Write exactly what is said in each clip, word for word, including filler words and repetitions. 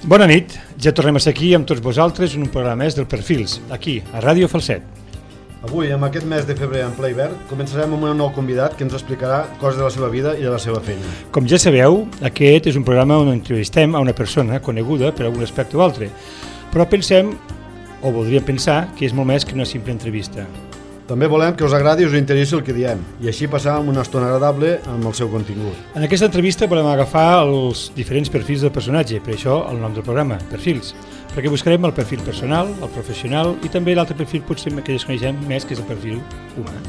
Bona nit, ja tornem a ser aquí amb tots vosaltres en un programa més del Perfils, aquí, a Ràdio Falset. Avui, amb aquest mes de febrer en ple hivern, començarem amb un nou convidat que ens explicarà coses de la seva vida i de la seva feina. Com ja sabeu, aquest és un programa on entrevistem a una persona coneguda per algun aspecte o altre, però pensem, o voldríem pensar, que és molt més que una simple entrevista. També volem que us agradi i us interessi el que diem, i així passar una estona agradable amb el seu contingut. En aquesta entrevista volem agafar els diferents perfils del personatge, per això el nom del programa, Perfils, perquè buscarem el perfil personal, el professional i també l'altre perfil potser que desconeixem més, que és el perfil humà.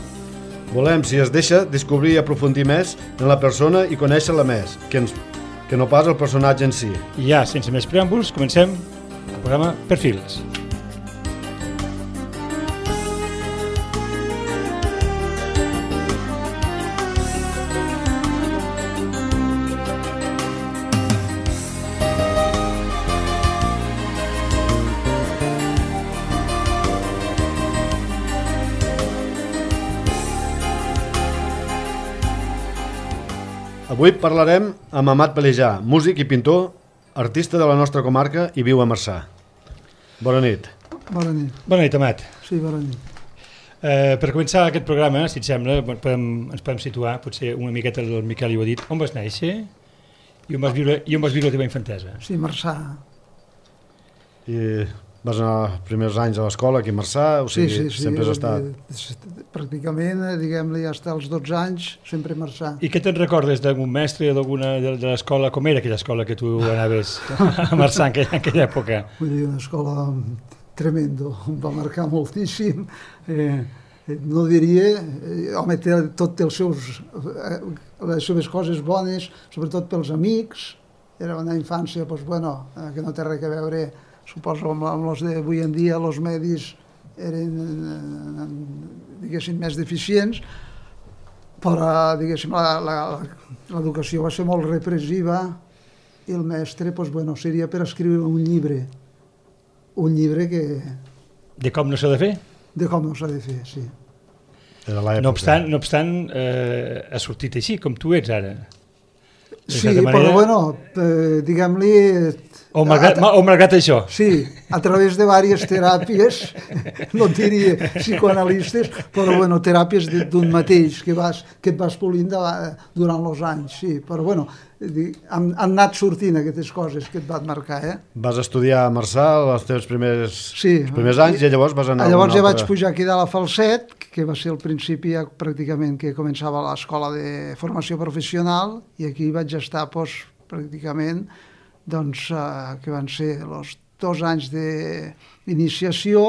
Volem, si es deixa, descobrir i aprofundir més en la persona i conèixer-la més, que, ens, que no pas el personatge en si. I ja, sense més preàmbuls, comencem el programa Perfils. Avui parlarem amb Amat Pelejà, músic i pintor, artista de la nostra comarca i viu a Marçà. Bona nit. Bona nit. Bona nit, Amat. Sí, bona nit. Eh, per començar aquest programa, si et sembla, podem, ens podem situar, potser una miqueta el Miquel ho ha dit, on vas néixer i on vas viure, i on vas viure la teva infantesa? Sí, Marçà. I vas anar els primers anys a l'escola aquí a Marçà, o sigui, sí, sí, sí, sempre has estat... Pràcticament, diguem-li, fins als dotze anys, sempre a Marçà. I què te'n recordes d'algun mestre d'alguna de, de l'escola? Com era aquella escola que tu anaves a Marçà en aquella, en aquella època? Vull dir, una escola tremendo, em va marcar moltíssim. Eh, no diria, eh, home, té tot els seus, eh, les seves coses bones, sobretot pels amics. Era una infància, doncs, bueno, eh, que no té res a veure, suposo, amb, amb els d'avui en dia, els medis eren, eh, diguéssim, més deficients, però, diguéssim, l'educació va ser molt repressiva i el mestre, doncs, bueno, seria per escriure un llibre, un llibre que... De com no s'ha de fer? De com no s'ha de fer, sí. No obstant, no obstant eh, ha sortit així, com tu ets ara. Sí, però, bueno, eh, diguem-li... O malgrat, a, o malgrat això. Sí, a través de diverses teràpies, no diria psicoanalistes, però bueno, teràpies d'un mateix que, vas, que et vas polint de, durant els anys, sí. Però bueno, han, han anat sortint aquestes coses que et van marcar, eh? Vas estudiar a Marçà els teus primers, sí, els primers anys i llavors vas anar... Llavors ja altra... vaig pujar aquí de la Falset, que va ser el principi ja pràcticament que començava l'escola de formació professional, i aquí vaig estar doncs, pràcticament... doncs, eh, que van ser els dos anys d'iniciació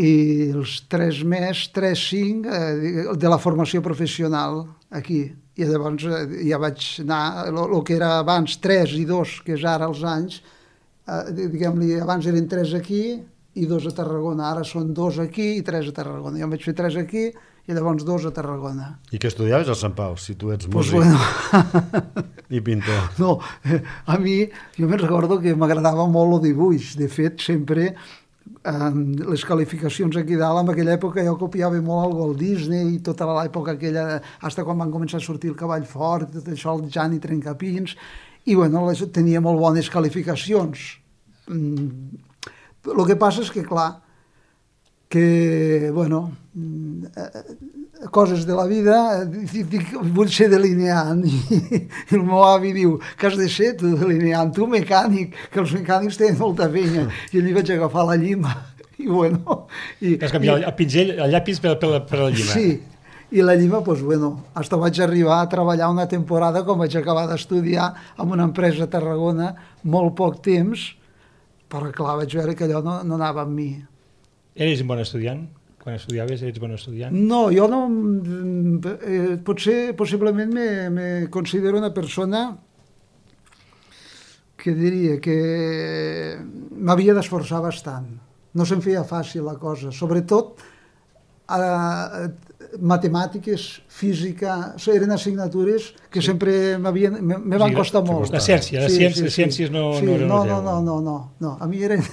i els tres més, tres, cinc, eh, de la formació professional aquí. I llavors eh, ja vaig anar, el que era abans tres i dos, que és ara els anys, eh, diguem-li, abans eren tres aquí i dos a Tarragona, ara són dos aquí i tres a Tarragona. Jo em vaig fer tres aquí i llavors dos a Tarragona. I què estudiaves a Sant Pau, si tu ets pues músic bueno. i pintor? No, a mi, jo me'n recordo que m'agradava molt el dibuix. De fet, sempre eh, les qualificacions aquí dalt, en aquella època jo copiava molt el Walt Disney i tota l'època aquella, fins quan van començar a sortir el Cavall Fort, tot això, el Jan i Trencapins, i bueno, les, tenia molt bones qualificacions. Mm, el que passa és que, clar, que, bueno, coses de la vida, dic, vull ser delineant, i el meu avi diu, que has de ser tu delineant, tu mecànic, que els mecànics tenen molta penya, i allí vaig agafar la llima, i bueno... I, Has canviat el pinzell, el llapis per, per, la, per la llima. Sí, i la llima, doncs, bueno, fins vaig arribar a treballar una temporada, com vaig acabar d'estudiar en una empresa a Tarragona, molt poc temps, però clar, vaig veure que allò no, no anava amb mi. Eres un bon estudiant? Quan estudiaves ets bon estudiant? No, jo no... Eh, potser, possiblement me, me considero una persona que diria que m'havia d'esforçar bastant. No se'm feia fàcil la cosa. Sobretot eh, matemàtiques, física, eren assignatures que sí. sempre m'havien, me, me van sí, costar molt. La ciència, les sí, ciències, sí, sí. ciències no, sí, no eren no, el no, no, no, no, no. A mi eren,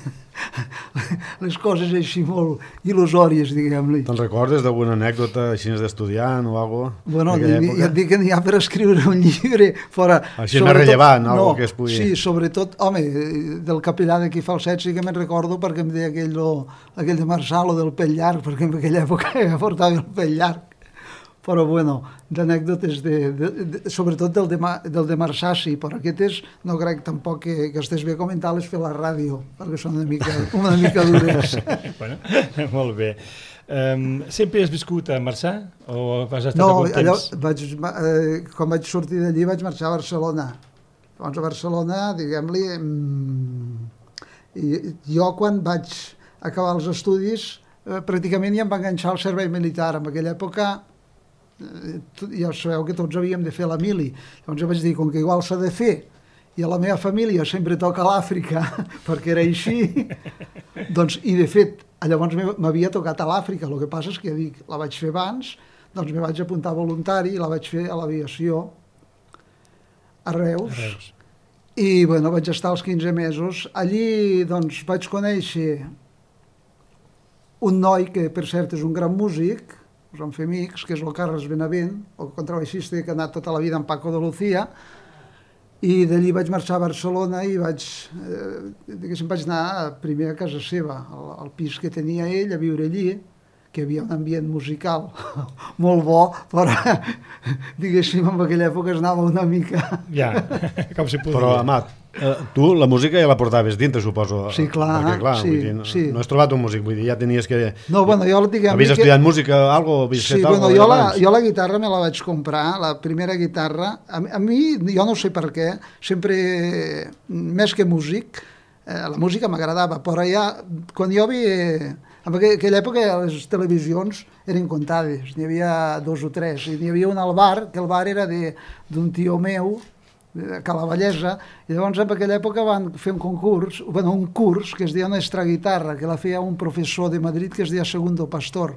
les coses així molt il·lusòries, diguem-li. Te'n recordes d'alguna anècdota així d'estudiant o alguna cosa? Bueno, ja et dic que n'hi ha per escriure un llibre fora... Així més rellevant, no, que es pugui... Sí, sobretot, home, del capellà d'aquí Falset sí que me'n recordo perquè em deia aquell, lo, aquell de Marçal o del pell llarg, perquè en aquella època ja portava el pell llarg. Però, bueno, d'anècdotes, de, de, de, sobretot del de, del de Marçà, sí, però aquestes no crec tampoc que, que estés bé comentar-les fer la ràdio, perquè són una mica, una mica dures. Bueno, molt bé. Um, sempre has viscut a Marçà o has estat no, algun temps? No, vaig, eh, quan vaig sortir d'allí vaig marxar a Barcelona. Llavors a Barcelona, diguem-li, mmm, jo quan vaig acabar els estudis eh, pràcticament ja em va enganxar al servei militar. En aquella època ja sabeu que tots havíem de fer la mili. Llavors jo vaig dir, com que igual s'ha de fer i a la meva família sempre toca l'Àfrica perquè era així, doncs, i de fet llavors m'havia tocat a l'Àfrica, el que passa és que ja dic, la vaig fer abans, doncs me vaig apuntar voluntari i la vaig fer a l'aviació a Reus, a Reus. I bueno, vaig estar els quinze mesos allí, doncs vaig conèixer un noi que per cert és un gran músic, us vam fer amics, que és el Carles Benavent, el contrabaixista que ha anat tota la vida amb Paco de Lucía, i d'allí vaig marxar a Barcelona i vaig, eh, diguéssim, vaig anar primer a casa seva, al, al pis que tenia ell, a viure allí, que hi havia un ambient musical molt bo, però diguéssim, en aquella època es anava una mica... Ja, com si podia. Però, Amat, eh, tu la música ja la portaves dintre, suposo. Sí, clar. Perquè, clar, sí, vull dir, no, sí. no has trobat un músic, vull dir, ja tenies que... No, bueno, jo... Diguem, havies que... estudiat música, algo, havies sí, fet bueno, algo jo la, abans? jo la guitarra me la vaig comprar, la primera guitarra. A, a mi, jo no sé per què, sempre, més que músic, eh, la música m'agradava, però ja, quan jo havia... En aquella època les televisions eren comptades, n'hi havia dos o tres, i n'hi havia un al bar, que el bar era d'un tio meu, de Cala Vallesa, i llavors en aquella època van fer un concurs, bueno, un curs que es deia una extraguitarra, que la feia un professor de Madrid que es deia Segundo Pastor.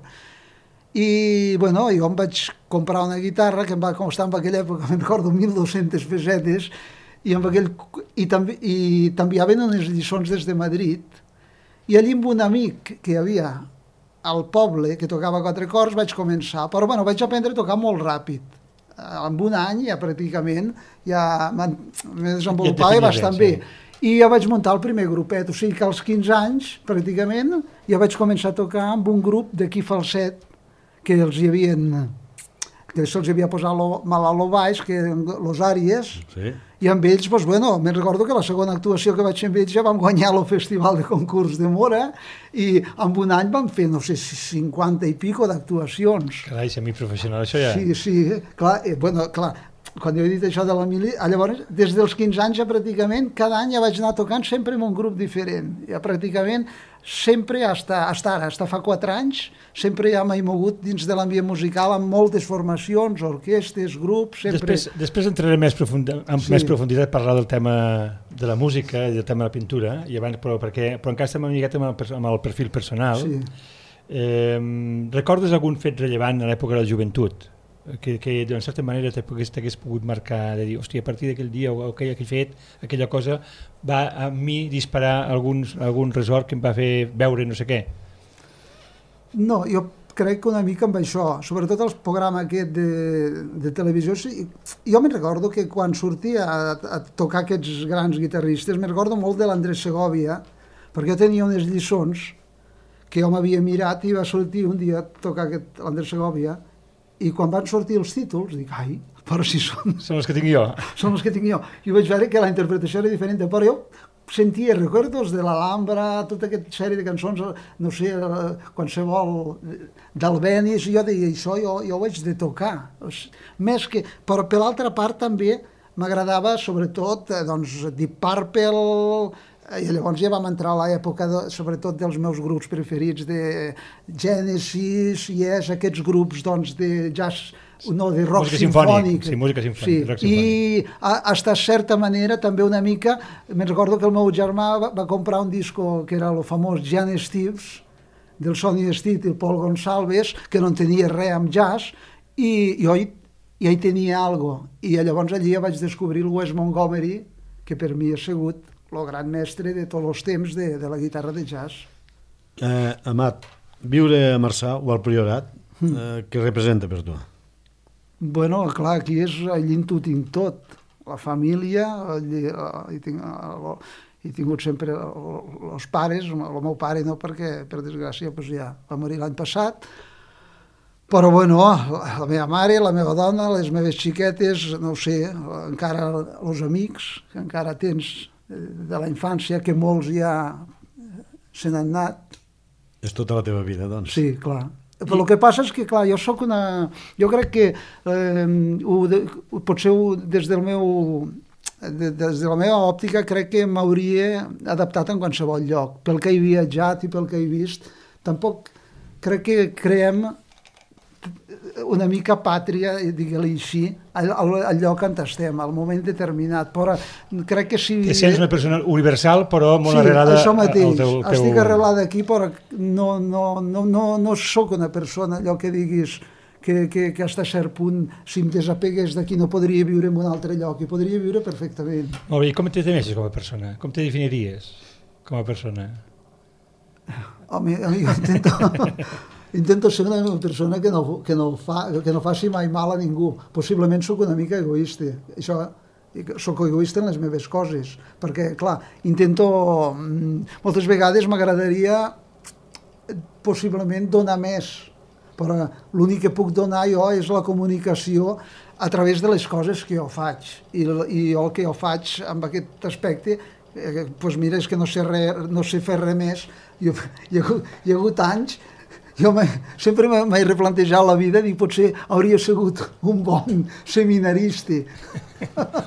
I, bueno, jo em vaig comprar una guitarra que em va costar en aquella època, me'n recordo, mil dos-centes pessetes, i, amb aquell, i, i t'enviaven unes lliçons des de Madrid, i allí amb un amic que hi havia al poble, que tocava quatre acords, vaig començar. Però bueno, vaig aprendre a tocar molt ràpid. En un any ja pràcticament ja me desenvolupava ja bastant bé. I ja vaig muntar el primer grupet, o sigui que als quinze anys, pràcticament, ja vaig començar a tocar amb un grup d'aquí Falset, que els hi havien... que se'ls havia posat lo, mal a lo baix, que eren los àries, sí. I amb ells, doncs, bueno, me'n recordo que la segona actuació que vaig fer amb ells ja vam guanyar el festival de concurs de Mora i en un any vam fer, no sé, cinquanta i pico d'actuacions. Carai, semiprofessional, això ja... Sí, sí, clar, eh, bueno, clar, quan jo he dit això de la mili, llavors, des dels quinze anys ja pràcticament, cada any ja vaig anar tocant sempre en un grup diferent. Ja pràcticament, sempre, hasta, hasta ara, hasta fa quatre anys, sempre ja m'he mogut dins de l'ambient musical amb moltes formacions, orquestes, grups, sempre... Després, després entraré més profund, amb sí. més profunditat a parlar del tema de la música i del tema de la pintura, i abans, però, perquè, però encara estem una miqueta amb el, amb el perfil personal. Sí. Eh, recordes algun fet rellevant a l'època de la joventut? Que, que d'una certa manera t'hagués pogut marcar, de dir, hòstia, a partir d'aquell dia o aquell que he fet, aquella cosa va a mi disparar alguns, algun resort que em va fer veure no sé què? No, jo crec que una mica amb això, sobretot el programa aquest de, de televisió, sí, jo me'n recordo que quan sortia a, a tocar aquests grans guitarristes, me'n recordo molt de l'Andrés Segovia, perquè jo tenia unes lliçons que jo m'havia mirat i va sortir un dia a tocar aquest l'Andrés Segovia. I quan van sortir els títols, dic, ai, però si són... Són els que tinc jo. Són els que tinc jo. I vaig veure que la interpretació era diferent, però jo sentia records de l'Alhambra, tota aquesta sèrie de cançons, no sé, qualsevol d'Albenis, i jo deia, això jo, jo ho haig de tocar. Més que... Però per l'altra part també m'agradava, sobretot, doncs, Deep Purple... I llavors ja vam entrar a l'època, de, sobretot dels meus grups preferits, de Genesis, Yes, aquests grups doncs, de jazz, no, de rock música sinfònic. Sí, música sinfònica. Sí. Rock I fins a certa manera també una mica, me'n recordo que el meu germà va, va comprar un disco que era el famós Jan Steves, del Sonny Stitt i el Paul Gonsalves, que no en tenia res amb jazz, i jo hi, ja hi tenia alguna cosa. I llavors allí ja vaig descobrir el Wes Montgomery, que per mi ha sigut el gran mestre de tots els temps de, de la guitarra de jazz. Eh, Amat, viure a Marçà o al Priorat, eh, què representa per tu? Bueno, clar, aquí és, allí ho tinc tot. La família, allí, hi, tinc, he tingut sempre els pares, el meu pare no, perquè, per desgràcia, pues ja va morir l'any passat, però bueno, la meva mare, la meva dona, les meves xiquetes, no ho sé, encara els amics, que encara tens de la infància, que molts ja se n'han anat. És tota la teva vida, doncs. Sí, clar. Però el que passa és que, clar, jo sóc una... Jo crec que eh, ho, potser ho, des del meu... De, des de la meva òptica crec que m'hauria adaptat en qualsevol lloc. Pel que he viatjat i pel que he vist, tampoc crec que creem una mica pàtria, digue-li així, al, al lloc on estem, al moment determinat. Però crec que si... Que sents una persona universal, però molt sí, arrelada això mateix. al teu... teu... Estic arrelada aquí, però no, no, no, no, no sóc una persona, allò que diguis, que, que, que fins a cert punt, si em desapegués d'aquí, no podria viure en un altre lloc, i podria viure perfectament. Molt bé, i com te defineixes com a persona? Com te definiries com a persona? Home, jo intento... Intento ser una persona que no, que, no fa, que no faci mai mal a ningú. Possiblement sóc una mica egoista. Això, sóc egoista en les meves coses, perquè, clar, intento... Moltes vegades m'agradaria possiblement donar més, però l'únic que puc donar jo és la comunicació a través de les coses que jo faig. I, i jo el que jo faig amb aquest aspecte, eh, doncs mira, és que no sé, re, no sé fer res més. Jo, hi, ha, hi ha hagut anys... Jo sempre m'he replantejat la vida, dic, potser hauria sigut un bon seminarista.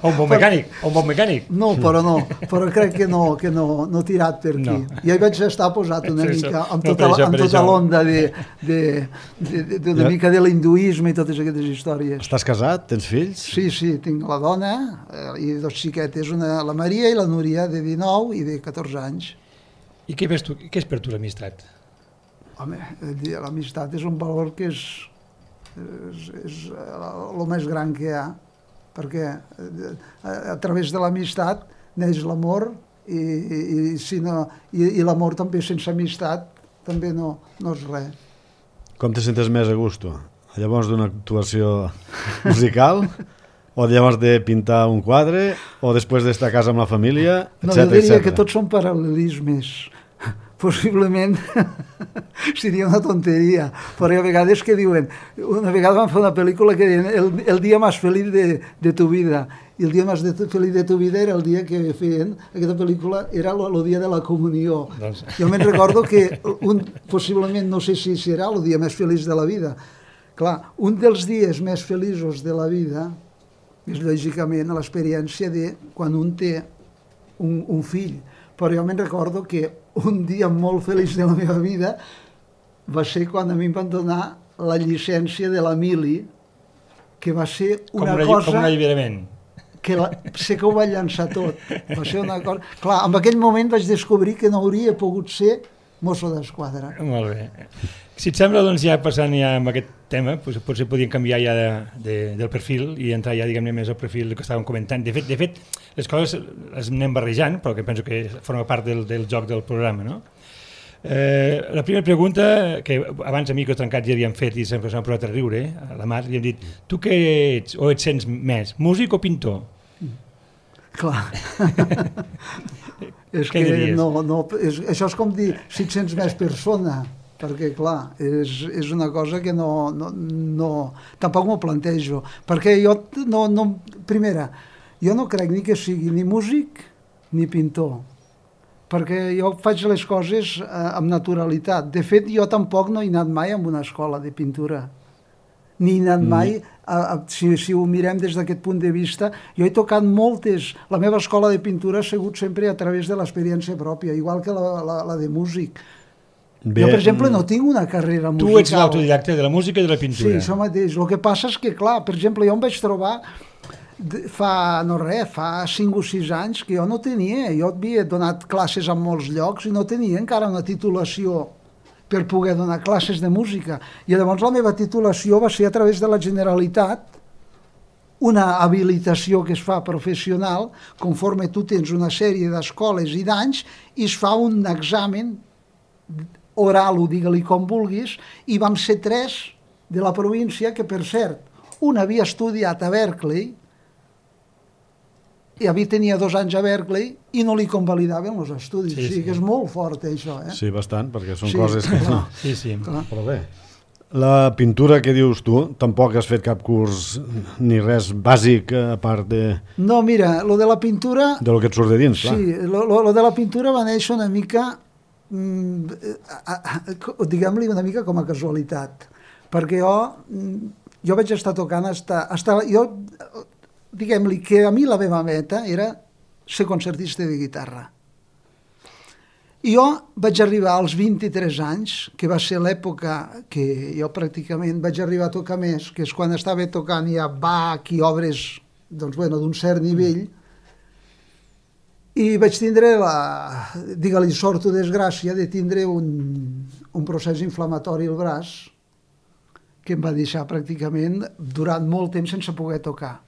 O un bon mecànic, o un bon mecànic. No, però no, però crec que no, que no, no he tirat per aquí. No. Ja hi vaig estar posat una mica amb tota, no, amb tota l'onda de, de, de, de, de, una mica de l'hinduisme i totes aquestes històries. Estàs casat? Tens fills? Sí, sí, tinc la dona eh, i dos xiquetes, una, la Maria i la Núria, de dinou i de catorze anys. I què, ves tu, què és per tu l'amistat? Home, l'amistat és un valor que és, és, és el més gran que hi ha, perquè a, a través de l'amistat neix l'amor i, i, i, si no, i, i l'amor també sense amistat també no, no és res. Com te sentes més a gust? Llavors d'una actuació musical o llavors de pintar un quadre o després d'estar a casa amb la família, etcètera? No, jo diria etcètera. Que tots són paral·lelismes. Possiblement seria una tonteria, però hi ha vegades que diuen, una vegada van fer una pel·lícula que deien el, el dia més feliç de, de tu vida, i el dia més de, feliç de tu vida era el dia que feien, aquesta pel·lícula era el dia de la comunió. Doncs... Jo me'n recordo que un, possiblement, no sé si serà el dia més feliç de la vida. Clar, un dels dies més feliços de la vida és lògicament l'experiència de quan un té un, un fill, però jo me'n recordo que un dia molt feliç de la meva vida va ser quan a mi em van donar la llicència de la mili, que va ser una, una cosa... Com un alliberament. Que la, sé que ho va llançar tot. Va ser una cosa... Clar, en aquell moment vaig descobrir que no hauria pogut ser mosso d'esquadra. Molt bé. Si et sembla, doncs ja passant ja amb aquest tema, doncs potser podríem canviar ja de, de, del perfil i entrar ja, diguem-ne, més al perfil que estàvem comentant. De fet, de fet, les coses les anem barrejant, però que penso que forma part del, del joc del programa, no? Eh, la primera pregunta, que abans a Micro Trencat ja havíem fet i sempre s'han posat a riure, a la Mar, li hem dit, tu què ets o et sents més, músic o pintor? Clar. És que no, no, és, això és com dir si et sents més persona, perquè clar, és, és una cosa que no, no, no tampoc m'ho plantejo, perquè jo no, no, primera, jo no crec ni que sigui ni músic ni pintor, perquè jo faig les coses eh, amb naturalitat. De fet, jo tampoc no he anat mai a una escola de pintura, ni he anat mai, a, a, si, si ho mirem des d'aquest punt de vista, jo he tocat moltes, la meva escola de pintura ha sigut sempre a través de l'experiència pròpia, igual que la, la, la de músic. Bé, jo, per exemple, no tinc una carrera musical. Tu ets l'autodidacte de la música i de la pintura. Sí, això mateix. El que passa és que, clar, per exemple, jo em vaig trobar fa, no res, fa cinc o sis anys que jo no tenia, jo havia donat classes en molts llocs i no tenia encara una titulació per poder donar classes de música. I llavors la meva titulació va ser a través de la Generalitat una habilitació que es fa professional, conforme tu tens una sèrie d'escoles i d'anys, i es fa un examen oral, o digue-li com vulguis, i vam ser tres de la província que, per cert, un havia estudiat a Berkeley, i havia tenia dos anys a Berkeley, i no li convalidaven els estudis. Sí, sí. O sigui que és molt fort, això. Eh? Sí, bastant, perquè són sí, coses que no... Sí, sí. Clar. Però bé, la pintura que dius tu, tampoc has fet cap curs ni res bàsic a part de... No, mira, lo de la pintura... De lo que et surt de dins, clar. Sí, lo, lo, lo de la pintura va néixer una mica, mm, diguem-li una mica com a casualitat, perquè jo, jo vaig estar tocant, hasta, hasta, jo, diguem-li que a mi la meva meta era ser concertista de guitarra. I jo vaig arribar als vint-i-tres anys, que va ser l'època que jo pràcticament vaig arribar a tocar més, que és quan estava tocant ja Bach i obres doncs, bueno, d'un cert nivell, i vaig tindre la, digue-li, sort o desgràcia de tindre un, un procés inflamatori al braç que em va deixar pràcticament durant molt temps sense poder tocar.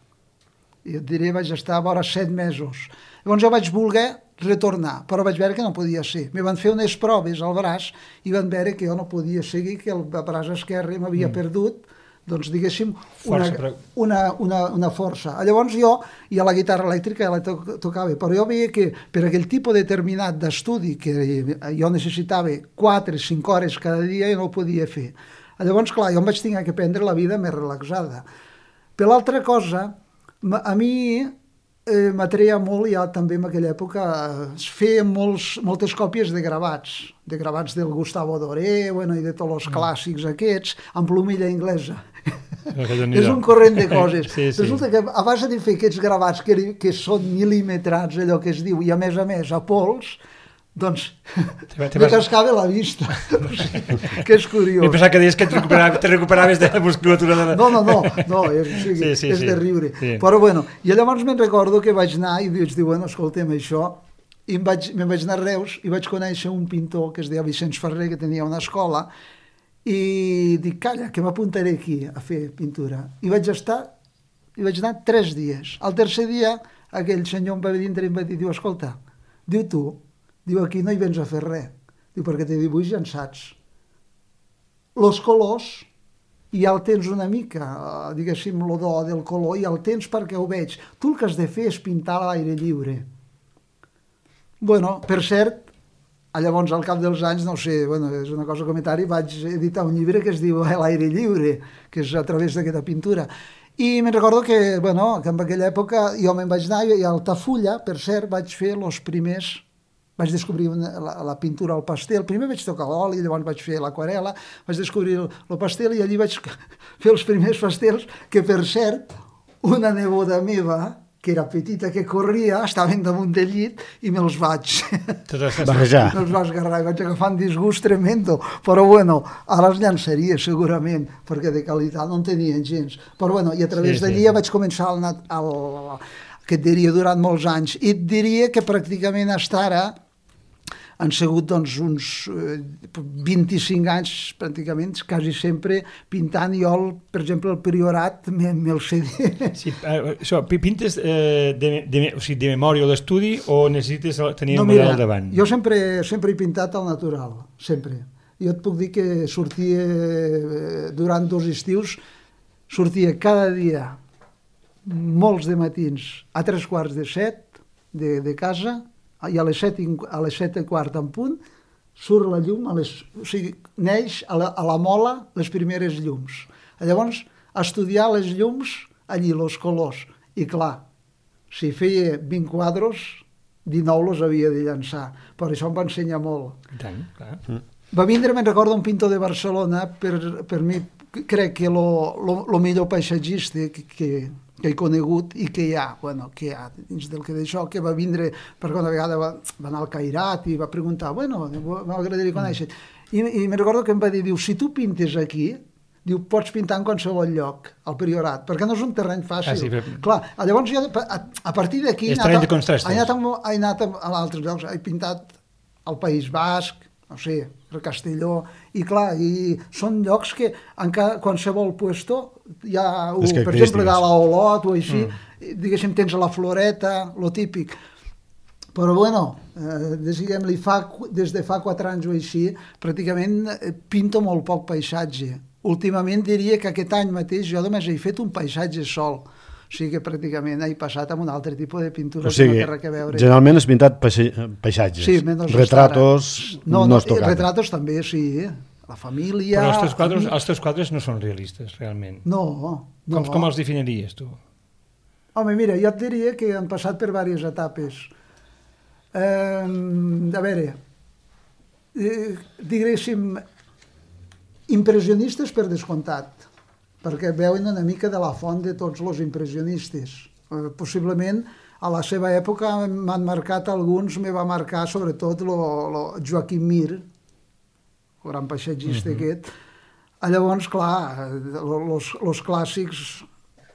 I et diré, vaig estar a vora set mesos. Llavors jo vaig voler retornar, però vaig veure que no podia ser. Me van fer unes proves al braç i van veure que jo no podia seguir, que el braç esquerre m'havia mm. perdut, doncs diguéssim, una, força, però... una, una, una força. Llavors jo, i a la guitarra elèctrica ja la to tocava, però jo veia que per aquell tipus determinat d'estudi que jo necessitava quatre o cinc hores cada dia, jo no ho podia fer. Llavors, clar, jo em vaig tenir que prendre la vida més relaxada. Per l'altra cosa, a mi eh, m'atreia molt, ja també en aquella època, es feien molts, moltes còpies de gravats, de gravats del Gustavo Doré, bueno, i de tots els clàssics aquests, amb plomilla anglesa. És un corrent de coses. Sí, sí. Resulta que a base de fer aquests gravats que, que són mil·límetrats, allò que es diu, i a més a més a pols, doncs me cascava la vista. O sigui, que és curiós. M'he pensat que deies que te recuperaves, te recuperaves de la musculatura de la... No, no, no, no és, o sigui, sí, sí, és sí. de riure. Sí. Però bueno, i llavors me'n recordo que vaig anar i vaig dir, bueno, escolta'm això, i me'n vaig, me vaig anar a Reus i vaig conèixer un pintor que es deia Vicenç Ferrer, que tenia una escola, i dic, calla, que m'apuntaré aquí a fer pintura. I vaig estar, i vaig anar tres dies. Al tercer dia, aquell senyor em va vindre i em va dir, diu, escolta, diu tu, diu, aquí no hi vens a fer res. Diu, perquè te dibuix ja en saps. Los colors, ja el tens una mica, diguéssim, lo do del color, ja el tens perquè ho veig. Tu el que has de fer és pintar a l'aire lliure. Bueno, per cert, llavors al cap dels anys, no sé, bueno, és una cosa comentari, vaig editar un llibre que es diu L'aire lliure, que és a través d'aquesta pintura. I me'n recordo que, bueno, que en aquella època jo me'n vaig anar i a Altafulla, per cert, vaig fer els primers... Vaig descobrir una, la, la pintura al pastel. Primer vaig tocar l'oli, llavors vaig fer l'aquarela, vaig descobrir el, el pastel i allí vaig fer els primers pastels que, per cert, una neboda meva, que era petita, que corria, estaven damunt del llit i me'ls vaig... Barrejar. Me'ls vaig agarrar i vaig agafar un disgust tremendo. Però, bueno, ara els llançaria, segurament, perquè de qualitat no en tenien gens. Però, bueno, i a través sí, d'allí sí. ja vaig començar el, el, el, que et diria durant molts anys. I et diria que pràcticament fins ara han sigut doncs, uns vint-i-cinc anys, pràcticament, quasi sempre pintant. Jo, el, per exemple, el Priorat me'l sé dir. Sí, això, pintes eh, de, de, o sigui, de memòria o d'estudi o necessites tenir no, el model al davant? Jo sempre, sempre he pintat al natural, sempre. Jo et puc dir que sortia, durant dos estius, sortia cada dia, molts de matins, a tres quarts de set de, de casa, i a les set, a les set i quart en punt, surt la llum, a les, o sigui, neix a la, a la mola les primeres llums. Llavors, estudiar les llums, allí, els colors. I clar, si feia vint quadros, dinou els havia de llançar. Per això em va ensenyar molt. I tant, clar. Mm. Va vindre, me'n recordo, un pintor de Barcelona, per, per mi, crec que el millor paisatgista que, que, que he conegut i que hi ha, bueno, que hi ha dins del que d'això, que va vindre, perquè una vegada va, va anar al Cairat i va preguntar, bueno, m'agradaria conèixer. I, i me'n recordo que em va dir, diu, si tu pintes aquí, diu, pots pintar en qualsevol lloc, al Priorat, perquè no és un terreny fàcil. Ah, sí, però... Clar, llavors jo, a, a partir d'aquí, he, he anat a, a altres llocs, he pintat al País Basc, no sé, el Castelló, i clar, i són llocs que en cada, qualsevol puesto hi ha, uh, per exemple, de l'Olot o així, mm. diguéssim, tens la Floreta, lo típic. Però bueno, eh, diguem-li, fa, des de fa quatre anys o així, pràcticament pinto molt poc paisatge. Últimament diria que aquest any mateix jo només he fet un paisatge sol. O sigui que pràcticament he passat amb un altre tipus de pintura. O sigui, que no té res a veure. Generalment has pintat paisatges. Sí, menys retratos no, no, no has tocat. Retratos també, sí. La família... Però els teus quadres, els teus quadres no són realistes, realment. No, no. Com, com els definiries, tu? Home, mira, jo et diria que han passat per diverses etapes. Eh, a veure, eh, diguéssim, impressionistes per descomptat, perquè veuen una mica de la font de tots els impressionistes. Eh, possiblement, a la seva època m'han marcat alguns, me va marcar sobretot lo, lo Joaquim Mir, el gran paisatgista uh-huh. aquest. Llavors, clar, els clàssics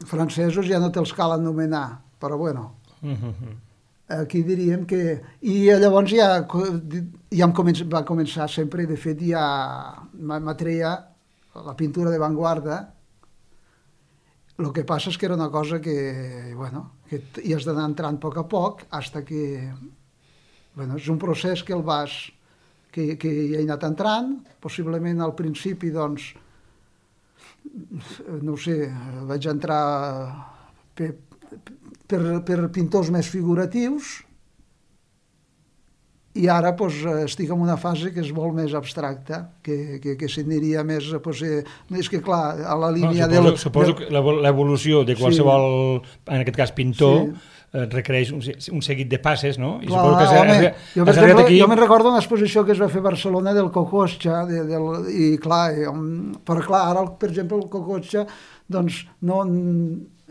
francesos ja no te'ls cal anomenar, però bueno... Uh-huh. Aquí diríem que... I llavors ja, ja em comença, va començar sempre, de fet, ja m'atreia la pintura d'avantguarda. El que passa és que era una cosa que, bueno, que hi has d'anar entrant a poc a poc, fins que... Bueno, és un procés que el vas... que, que hi he anat entrant, possiblement al principi, doncs, no ho sé, vaig entrar per... Per, per pintors més figuratius i ara pues, estic en una fase que és molt més abstracta, que, que, que s'aniria més... Pues, eh, és que, clar, a la línia... No, suposo del, suposo del... que l'evolució de qualsevol, sí. en aquest cas pintor, sí. eh, requereix un, un seguit de passes, no? I clar, suposo que has, home, has, jo, has arribat aquí... Jo me'n recordo una exposició que es va fer a Barcelona del Cocotxa, de, del, i clar, eh, però clar, ara, per exemple, el Cocotxa, doncs, no...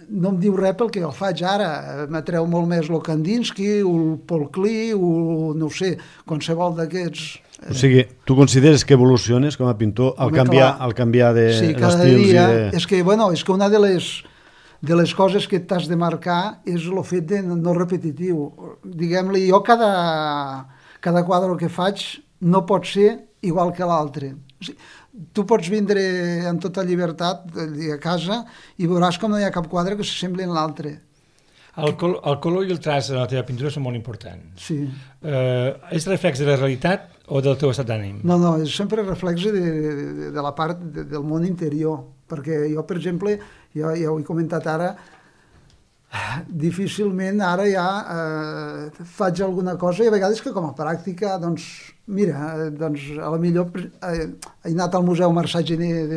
no em diu res pel que jo faig ara. M'atreu molt més el Kandinsky, el Paul Klee, o no ho sé, qualsevol d'aquests. O sigui, tu consideres que evoluciones com a pintor al canviar, al canviar de sí, cada d'estils dia, i de... És que, bueno, és que una de les, de les coses que t'has de marcar és el fet de no repetitiu. Diguem-li, jo cada, cada quadre que faig no pot ser igual que l'altre. O sigui, tu pots vindre amb tota llibertat a casa i veuràs com no hi ha cap quadre que s'assembli a l'altre. El, col el color i el traç de la teva pintura són molt importants. Sí. Eh, és reflex de la realitat o del teu estat d'ànim? No, no, és sempre reflex de, de, de la part de, del món interior, perquè jo, per exemple, ja, ja ho he comentat ara, difícilment ara ja eh, faig alguna cosa i a vegades que com a pràctica, doncs, mira, doncs a la millor eh, he anat al Museu Marçà Gener de,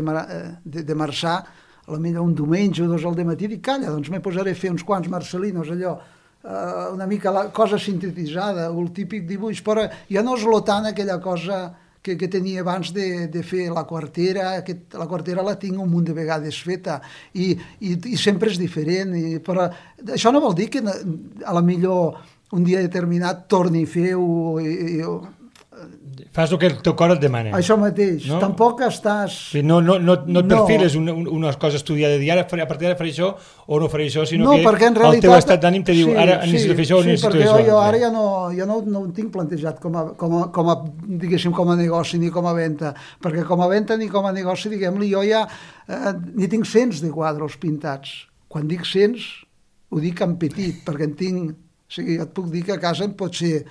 de, de Marçà, a la millor un diumenge o dos al dematí, i dic, calla, doncs me posaré a fer uns quants marcelinos, allò, eh, una mica la cosa sintetitzada, el típic dibuix, però ja no és lo tant aquella cosa que, que tenia abans de, de fer la quartera, que la quartera la tinc un munt de vegades feta, i, i, i sempre és diferent, i, però això no vol dir que a la millor un dia determinat torni a fer-ho, i, i, fas el que el teu cor et demana. Això mateix, no? Tampoc estàs... No, no, no, no et perfiles una, una cosa estudiada de dir ara a partir d'ara faré això o no faré això, sinó no, que realitat, el teu estat d'ànim te diu sí, ara sí, necessito fer això o sí, necessito fer això. Sí, perquè jo ara ja no, ja no, no ho tinc plantejat com a, com, a, com a, diguéssim, com a negoci ni com a venda, perquè com a venda ni com a negoci, diguem-li, jo ja eh, ni tinc cents de quadres pintats. Quan dic cents, ho dic en petit, perquè en tinc... O sigui, jo et puc dir que a casa en pot ser...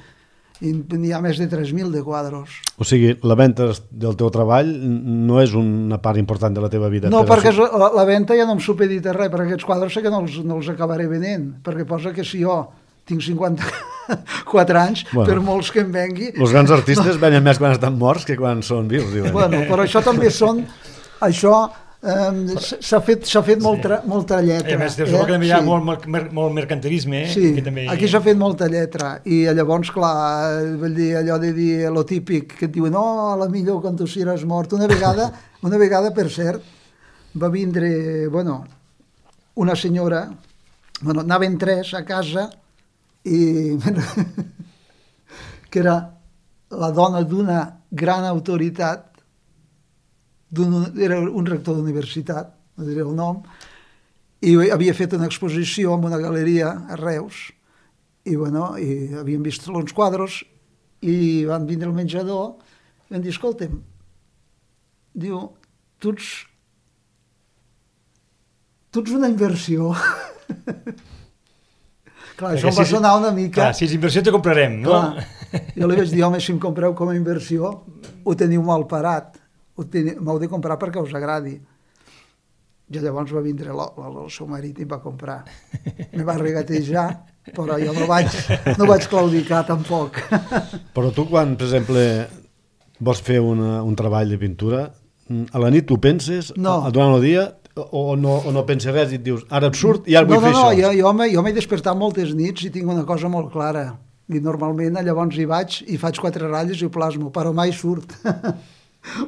i n'hi ha més de tres mil de quadres. O sigui, la venda del teu treball no és una part important de la teva vida? No, perquè la, la venda ja no em supedita res, perquè aquests quadres sé que no els, no els acabaré venent, perquè posa que si jo tinc cinquanta-quatre anys, bueno, per molts que em vengui... Els grans artistes no. venen més quan estan morts que quan són vius, diuen. Bueno, però això també són... Això... Um, s'ha fet, fet molta, sí. molta lletra. A més, eh? que també hi ha sí. molt, molt mercantilisme. Eh? Sí, que també... aquí s'ha fet molta lletra. I llavors, clar, vull dir, allò de dir lo típic, que et diuen, no, a la millor quan tu seràs mort. Una vegada, una vegada, per cert, va vindre, bueno, una senyora, bueno, anaven tres a casa, i que era la dona d'una gran autoritat, era un rector d'universitat, no diré el nom, i havia fet una exposició en una galeria a Reus, i, bueno, i havien vist uns quadres, i van vindre al menjador, vam dir, escolta'm, diu, tu ets, tu ets una inversió. Clar, això em va sonar una mica... Clar, si és inversió te comprarem, no? Clar, jo li vaig dir, home, si em compreu com a inversió, ho teniu mal parat, m'heu de comprar perquè us agradi. I llavors va vindre el, el, el seu marit i em va comprar. Me va regatejar, però jo no vaig, no vaig claudicar tampoc. Però tu quan, per exemple, vols fer una, un treball de pintura, a la nit tu penses, no. durant el dia, o no, o no penses res i et dius, ara et surt i ara vull no, no, fer no, això? Jo, jo, m'he, jo m'he despertat moltes nits i tinc una cosa molt clara. I normalment llavors hi vaig i faig quatre ratlles i ho plasmo, però mai surt.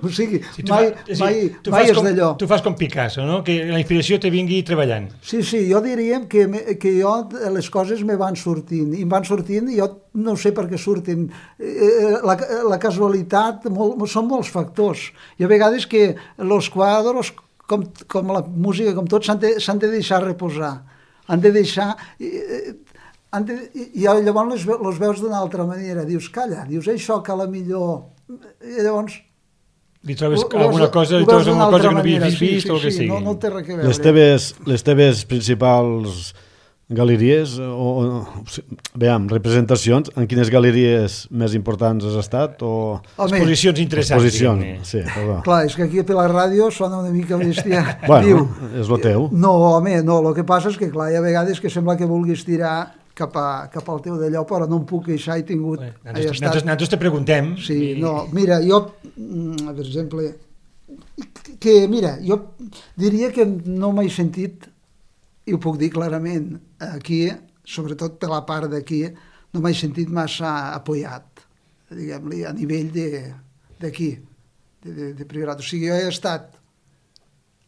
O sigui, sí, mai, fa, mai, sí, mai és com, d'allò. Tu fas com Picasso, no? Que la inspiració te vingui treballant. Sí, sí, jo diríem que, me, que jo les coses me van sortint, i em van sortint i jo no sé per què surten. La, la casualitat, molt, són molts factors. I a vegades que els quadres, com, com la música, com tot, s'han de, s'han de deixar reposar. Han de deixar... Han de, I llavors les, les veus d'una altra manera. Dius, calla, dius això que a la millor... I llavors... Li trobes alguna cosa, li trobes alguna cosa que no havies vist sí, sí, o el que sí, sigui. No, no té res a veure. Les teves, les teves principals galeries, o, o veiem, representacions, en quines galeries més importants has estat? O... Exposicions interessants. Exposicions, sí, perdó. Clar, és que aquí per la ràdio sona una mica bèstia. Bueno, Diu, és lo teu. No, home, no, el que passa és que, clar, hi ha vegades que sembla que vulguis tirar cap, a, cap al teu d'allò, però no em puc queixar, he tingut... Bé, nosaltres, nosaltres, nosaltres te preguntem. Sí, i... no, mira, jo, per exemple, que, mira, jo diria que no m'he sentit, i ho puc dir clarament, aquí, sobretot per la part d'aquí, no m'he sentit massa apoyat, diguem-li, a nivell d'aquí, de, de, de, de priorat. O sigui, jo he estat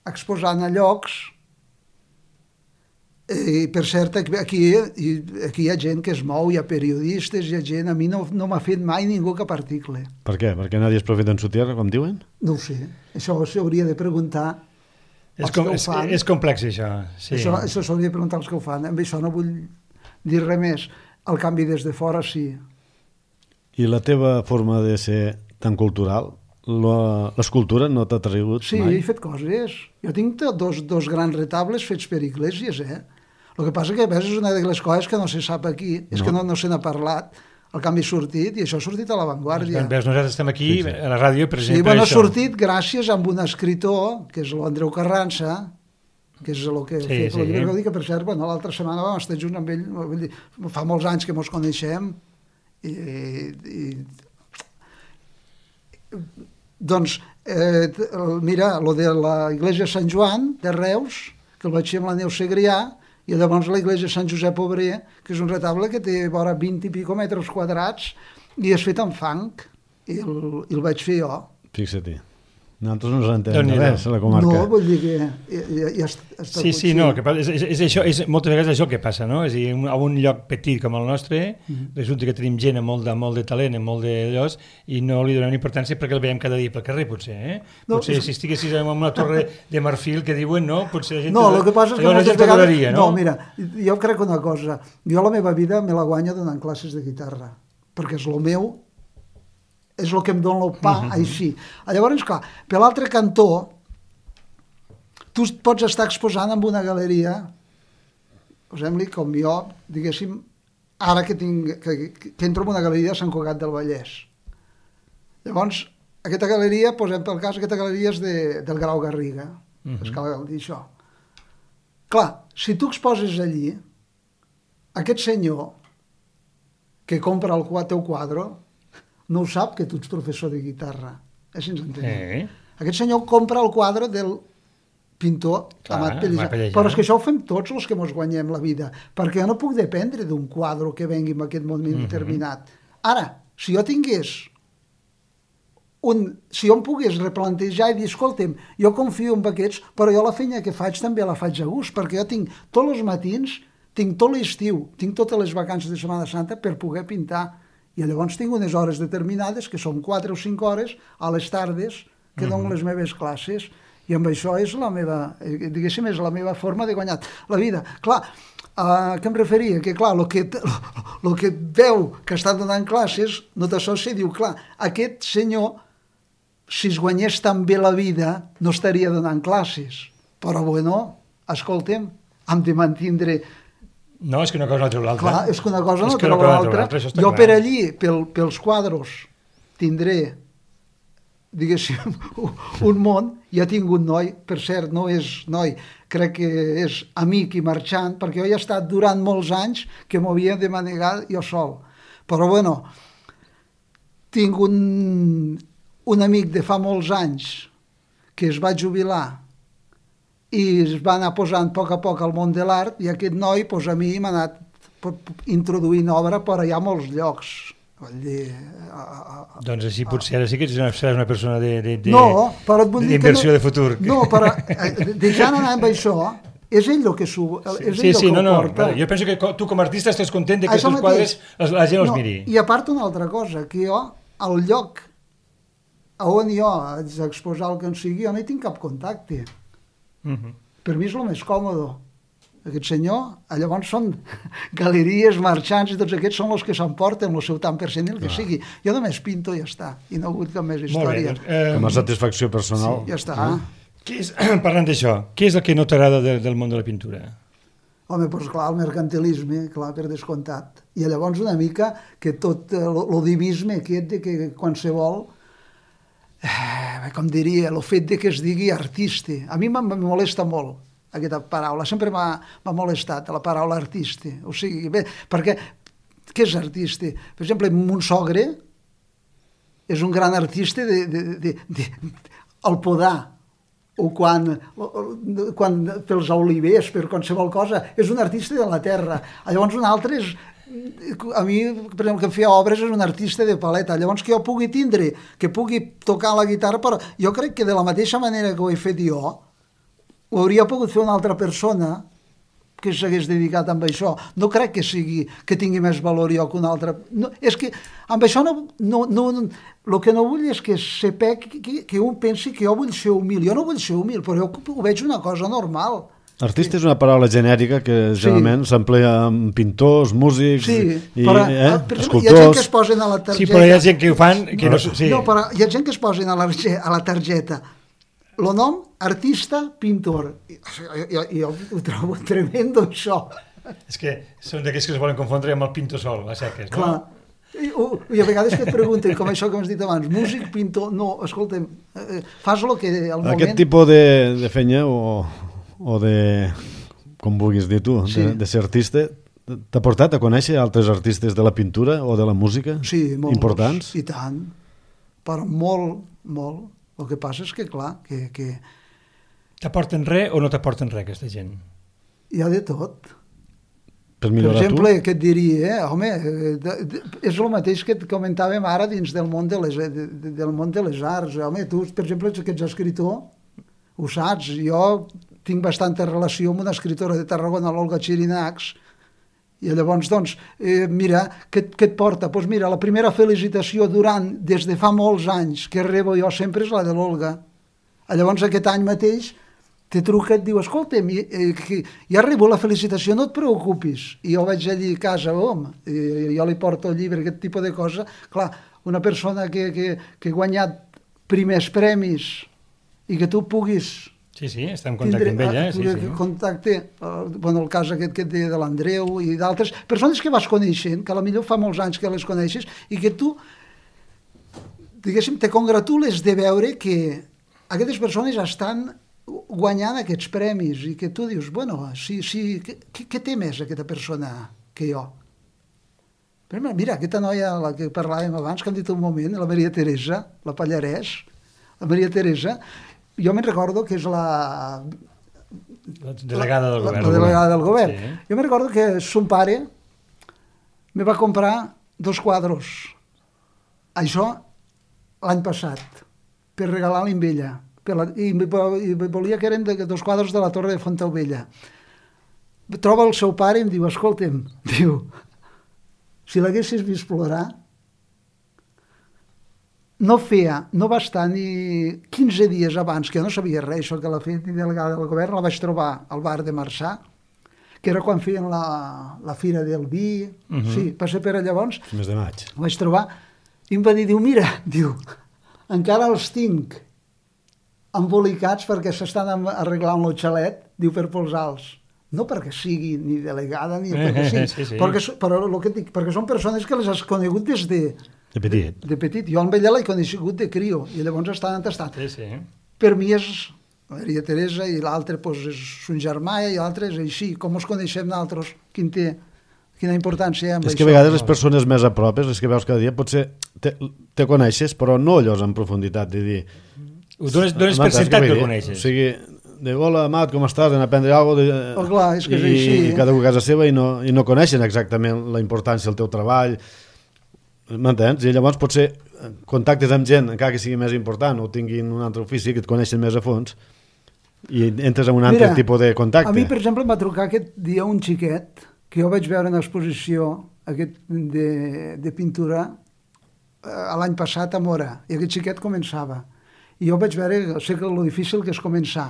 exposant a llocs. I per cert, aquí, aquí hi ha gent que es mou, hi ha periodistes, hi ha gent... A mi no, no m'ha fet mai ningú cap article. Per què? Perquè nadie es profeta en su tierra, com diuen? No ho sé. Això s'hauria de preguntar és als com, que ho és, fan. És complex, això. Sí. Això, això s'hauria de preguntar als que ho fan. Amb això no vull dir res més. El canvi des de fora, sí. I la teva forma de ser tan cultural, l'escultura no t'ha atragut sí, mai? Sí, he fet coses. Jo tinc dos, dos grans retables fets per Iglesias, eh? El que passa que a vegades és una de les coses que no se sap aquí, és no. que no, no se n'ha parlat, el canvi ha sortit, i això ha sortit a l'avantguàrdia. Veus, nosaltres estem aquí, sí, sí. a la ràdio, per exemple, sí, bueno, això. Ha sortit gràcies a un escritor, que és l'Andreu Carrança, que és el que sí, ha fet, sí. el que per cert, bueno, l'altra setmana vam estar junts amb ell, vull dir, fa molts anys que mos coneixem, i... i doncs, eh, mira, lo de la Iglesia Sant Joan, de Reus, que el vaig fer amb la Neus Segrià, i llavors la Iglesia Sant Josep Obrer, que és un retable que té vora vint i pico metres quadrats, i és fet amb fang, i el, i el vaig fer jo. Fixa-t'hi. Nosaltres no ens entenem res a la comarca. No, vull dir que ja, ja, ja està... Sí, sí, no, que és, és, és això, és, moltes vegades és això que passa, no? És a dir, a un lloc petit com el nostre, mm. resulta que tenim gent amb molt de, molt de talent, amb molt de llos, i no li donem importància perquè el veiem cada dia pel carrer, potser, eh? No, potser és... si estiguessis en una torre de marfil que diuen, no? Potser la gent... No, el que passa és que moltes vegades... Donaria, no? no, mira, jo crec una cosa, jo la meva vida me la guanyo donant classes de guitarra, perquè és el meu... és el que em dona el pa, uh -huh. així. Llavors, clar, per l'altre cantó, tu pots estar exposant en una galeria, posem-li com jo, diguéssim, ara que, tinc, que, que entro en una galeria de Sant Cugat del Vallès. Llavors, aquesta galeria, posem pel cas, aquesta galeria és de, del Grau Garriga, uh -huh. és cal dir això. Clar, si tu exposes allí, aquest senyor que compra el teu quadre, no ho sap que tu ets professor de guitarra. Així ens entenem. Eh. Aquest senyor compra el quadre del pintor Clar, Amat Pellijar. Però és que això ho fem tots els que ens guanyem la vida, perquè jo no puc dependre d'un quadre que vengui en aquest moment uh-huh. determinat. Ara, si jo tingués un... si jo em pogués replantejar i dir, escolta'm, jo confio en aquests, però jo la feina que faig també la faig a gust, perquè jo tinc tots els matins, tinc tot l'estiu, tinc totes les vacances de Setmana Santa per poder pintar. I llavors tinc unes hores determinades, que són quatre o cinc hores, a les tardes, que dono les meves classes, i amb això és la meva, diguéssim, és la meva forma de guanyar la vida. Clar, a què em referia? Que clar, el que, el que veu que està donant classes, no t'associa i diu, clar, aquest senyor si es guanyés tan bé la vida, no estaria donant classes. Però, bueno, escolta'm, hem de mantindre... No, és que una cosa no treu l'altra. Clar, és que una cosa no És que treu una cosa no l'altra. treu l'altra, això està Jo clar. per allí, pel, pels quadros, tindré, diguéssim, un món. Ja tinc un noi, per cert, no és noi, crec que és amic i marxant, perquè jo he estat durant molts anys que m'ho havia de manegar jo sol. Però, bueno, tinc un, un amic de fa molts anys que es va jubilar i es va anar posant a poc a poc al món de l'art, i aquest noi, doncs, a mi m'ha anat introduint obra per allà a molts llocs. Vull dir, a, a, a, doncs així potser ara sí que seràs una persona de, de, de, no, però et vull dir que d'inversió no, de futur. No, però deixant anar amb això, és ell el que, su, és ell Sí, el sí, que no, ho no, porta. vale. Jo penso que tu com a artista estàs content de que els Això teus mateix. quadres la gent els No, miri. I a part una altra cosa, que jo, al lloc on jo haig d'exposar el que en sigui, jo no hi tinc cap contacte. Uh -huh. Per mi és el més còmode. Aquest senyor, llavors són galeries, marxants, i tots aquests són els que s'emporten el seu tant per cent, el que ah. sigui. Jo només pinto i ja està, i no he hagut cap més història. Molt bé, doncs, Com a satisfacció personal. Sí, ja està. Eh? Què és, parlant d'això, què és el que no t'agrada de, del món de la pintura? Home, doncs clar, el mercantilisme, clar, per descomptat. I llavors una mica que tot l'odivisme aquest de que qualsevol, eh, com diria, el fet de que es digui artista. A mi me molesta molt aquesta paraula, sempre m'ha molestat la paraula artista. O sigui, bé, perquè què és artista? Per exemple, mon sogre és un gran artista de, de, de, de, de el podar, o quan, quan pels olivers, per qualsevol cosa, és un artista de la terra. Llavors un altre és, a mi, per exemple, que em feia obres, és un artista de paleta. Llavors que jo pugui tindre, que pugui tocar la guitarra, però jo crec que de la mateixa manera que ho he fet jo, ho hauria pogut fer una altra persona que s'hagués dedicat amb això. No crec que sigui que tingui més valor jo que un altre. No, és que amb això no, no, no, el que no vull és que sepa que, que, que un pensi que jo vull ser humil. Jo no vull ser humil, però jo ho veig una cosa normal. Artista és una paraula genèrica que generalment sí. s'emplea amb pintors, músics, sí, i, però, eh, per exemple, escultors. Hi ha gent que es posen a la targeta. Sí, però hi ha gent que ho fan... Que no, sí. no, però hi ha gent que es posen a la, a la targeta el nom, artista, pintor. Jo, jo ho trobo tremendo, això. És que són d'aquells que es volen confondre amb el pintor sol, a seques, no? Clar. I, I a vegades que et pregunten, com això que m'has dit abans, músic, pintor... No, escolta'm, eh, fas el que al moment... Aquest tipus de, de fenya o, o de, com vulguis dir tu, sí. de, de ser artista, t'ha portat a conèixer altres artistes de la pintura o de la música? Sí, molts. Importants? I tant. Però molt, molt. El que passa és que, clar, que... que... T'aporten res o no t'aporten res, aquesta gent? Hi ha de tot. Per, per exemple, tu? què et diria? Eh? Home, de, de, és el mateix que et comentàvem ara dins del món de les, de, de, del món de les arts. Home, tu, per exemple, que ets escriptor, ho saps. Jo tinc bastanta relació amb una escriptora de Tarragona, l'Olga Xirinacs, i llavors, doncs, eh, mira, què, què et porta? Doncs pues mira, la primera felicitació durant, des de fa molts anys, que rebo jo sempre és la de l'Olga. Llavors, aquest any mateix, te truca i et diu, escolta'm, eh, ja rebo la felicitació, no et preocupis. I jo vaig allí a casa, home, i jo li porto el llibre, aquest tipus de cosa. Clar, una persona que, que, que ha guanyat primers premis i que tu puguis... Sí, sí, està en contacte amb ella. Sí, sí. Contacte, bueno, el cas aquest que et deia de l'Andreu i d'altres persones que vas coneixent, que potser fa molts anys que les coneixes, i que tu, diguéssim, te congratules de veure que aquestes persones estan guanyant aquests premis i que tu dius, bueno, sí, sí, què, què té més aquesta persona que jo? Però mira, aquesta noia, la que parlàvem abans, que hem dit un moment, la Maria Teresa, la Pallarès, la Maria Teresa, jo me'n recordo que és la... La delegada del govern. La, la delegada del govern. Sí. Jo me'n recordo que son pare me va comprar dos quadros. Això l'any passat, per regalar-li amb ella. Per la, i, I volia que eren de, dos quadres de la Torre de Fontaubella. Troba el seu pare i em diu, escolta'm, diu, si l'haguessis vist plorar, no feia, no va estar ni quinze dies abans, que jo no sabia res, això que l'ha fet ni delegada del govern, la vaig trobar al bar de Marçà, que era quan feien la, la fira del vi, uh-huh. Sí, va ser per llavors. Mes de maig. La vaig trobar i em va dir, diu, mira, diu, encara els tinc embolicats perquè s'estan arreglant el xalet, diu, per posar-los. No perquè sigui ni delegada ni perquè sigui, sí, sí. Perquè, però el que dic, perquè són persones que les has conegut des de, De petit. de petit. Jo amb ella l'he conegut de crio i llavors estan entestat. Sí, sí. Per mi és Maria Teresa i l'altre pues, és son germà i l'altre és així. Com ens coneixem nosaltres? Quin té, quina importància hi ha amb És això? que a vegades les persones més a propes, les que veus cada dia, potser te, te coneixes, però no allò en profunditat, de dir... Ho dones, dones per Amat, sentat que que vull el dir? coneixes. O sigui, de hola, Amat, com estàs? Anem a prendre alguna cosa? De... Oh, clar, és que és I, així. I cada un a casa seva i no, i no coneixen exactament la importància del teu treball. M'entens? I llavors potser contactes amb gent, encara que sigui més important, o tinguin un altre ofici que et coneixen més a fons, i entres en un altre Mira, tipus de contacte. A mi, per exemple, em va trucar aquest dia un xiquet que jo vaig veure en exposició aquest de, de pintura eh, l'any passat a Mora, i aquest xiquet començava. I jo vaig veure, sé que lo difícil que és començar.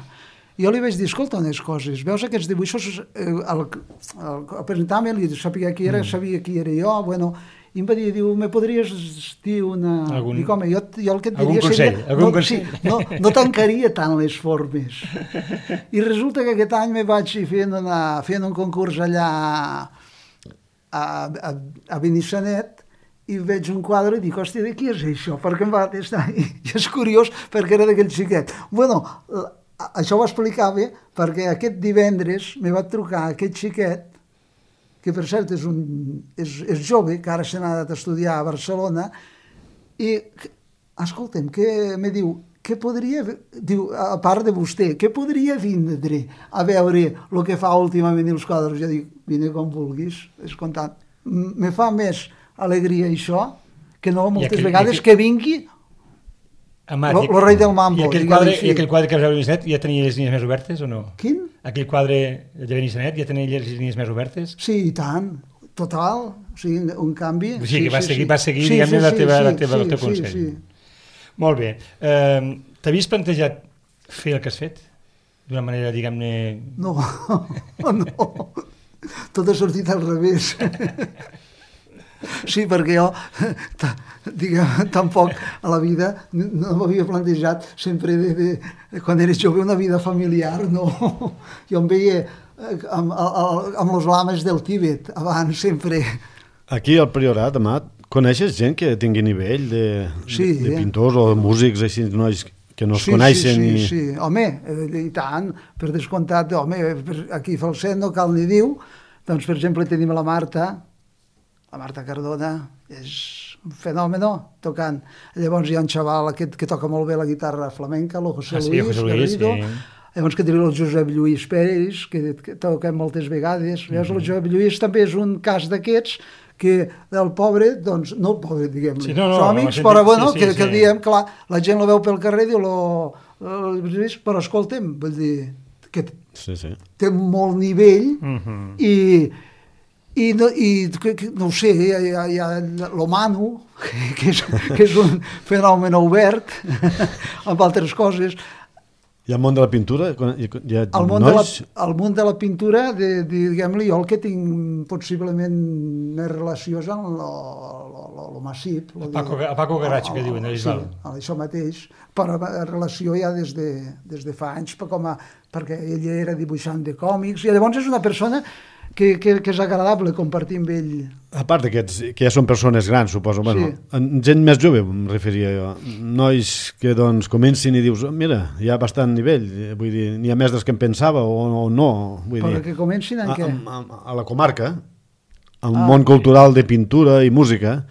Jo li vaig dir, escolta unes coses, veus aquests dibuixos, eh, el, el, el presentar-me, li sabia qui era, mm. sabia qui era jo, bueno, i em va dir, diu, me podries dir una... Algun... Dic, home, jo, jo el que et Algun diria consell, seria... algun no, consell. Sí, no, no tancaria tant les formes. I resulta que aquest any me vaig fent, una, fent un concurs allà a, a, a Benissanet, i veig un quadre i dic, hòstia, de qui és això? Perquè em va estar... I és curiós perquè era d'aquell xiquet. Bueno, això ho explicava perquè aquest divendres me va trucar aquest xiquet, que per cert és, un, és, és jove, que ara se n'ha anat a estudiar a Barcelona, i, escolta'm, que me diu, què podria, diu, a part de vostè, què podria vindre a veure el que fa últimament els quadres? Jo dic, vine com vulguis, és contant. Me fa més alegria això, que no moltes aquell, vegades aquell... que vingui Amat, el rei del mambo. I aquell, quadre, I aquell quadre que vas veure a Benissanet ja tenia les línies més obertes o no? Quin? Aquell quadre de Benissanet ja tenia les línies més obertes? Sí, i tant, total, o sigui, un canvi. O sigui, sí, que va sí, seguir, sí. va seguir sí, diguem-ne, sí, la teva, sí, la teva, sí, el teu sí, consell. Sí, sí. Molt bé. Eh, T'havies plantejat fer el que has fet? D'una manera, diguem-ne... No, no, tot ha sortit al revés. Sí, perquè jo, diguem, tampoc a la vida no m'havia plantejat sempre, de, de, quan eres jove, una vida familiar, no. Jo em veia amb, amb los lames del Tíbet, abans, sempre. Aquí al Priorat, Amat, coneixes gent que tingui nivell de, sí, de, de eh? pintors o de músics, així, nois que no es sí, coneixen? Sí, sí, i... sí, home, i tant, per descomptat, home, aquí a Falset no cal ni diu, doncs, per exemple, tenim la Marta, la Marta Cardona, és un fenomen tocant. Llavors hi ha un xaval aquest que toca molt bé la guitarra flamenca, el José ah, sí, Luis, José Luis Garrido. sí. Llavors que tenim el Josep Lluís Pérez, que, que toquem moltes vegades. Mm -hmm. El Josep Lluís també és un cas d'aquests que el pobre, doncs, no el pobre, diguem-ne, sí, no, no, som amics, no, però bueno, sí, sí, que, sí. que diem, clar, la gent lo veu pel carrer i diu, lo, lo, però escolta'm, vull dir, que sí, sí. té molt nivell mm -hmm. i i no, i, que, que, no ho sé, hi ha, hi ha, hi ha l'Omano, que, és, que és un fenomen obert amb altres coses. I al món de la pintura? Hi ha al món, nois? de la, al món de la pintura, de, de, diguem-li, jo el que tinc possiblement més relació és amb el massip. El Paco, el Paco Garratx, que diuen, sí, això mateix, però relació ja des de, des de fa anys, com a, perquè ell era dibuixant de còmics, i llavors és una persona que, que, que és agradable compartir amb ell. A part d'aquests, que ja són persones grans, suposo, bueno, Sí. gent més jove, em referia jo, nois que doncs comencin i dius, mira, hi ha bastant nivell, vull dir, n'hi ha més dels que em pensava o, o no, vull Però dir, que comencin en a, què? a, a, a la comarca, al Ah, món sí. cultural de pintura i música,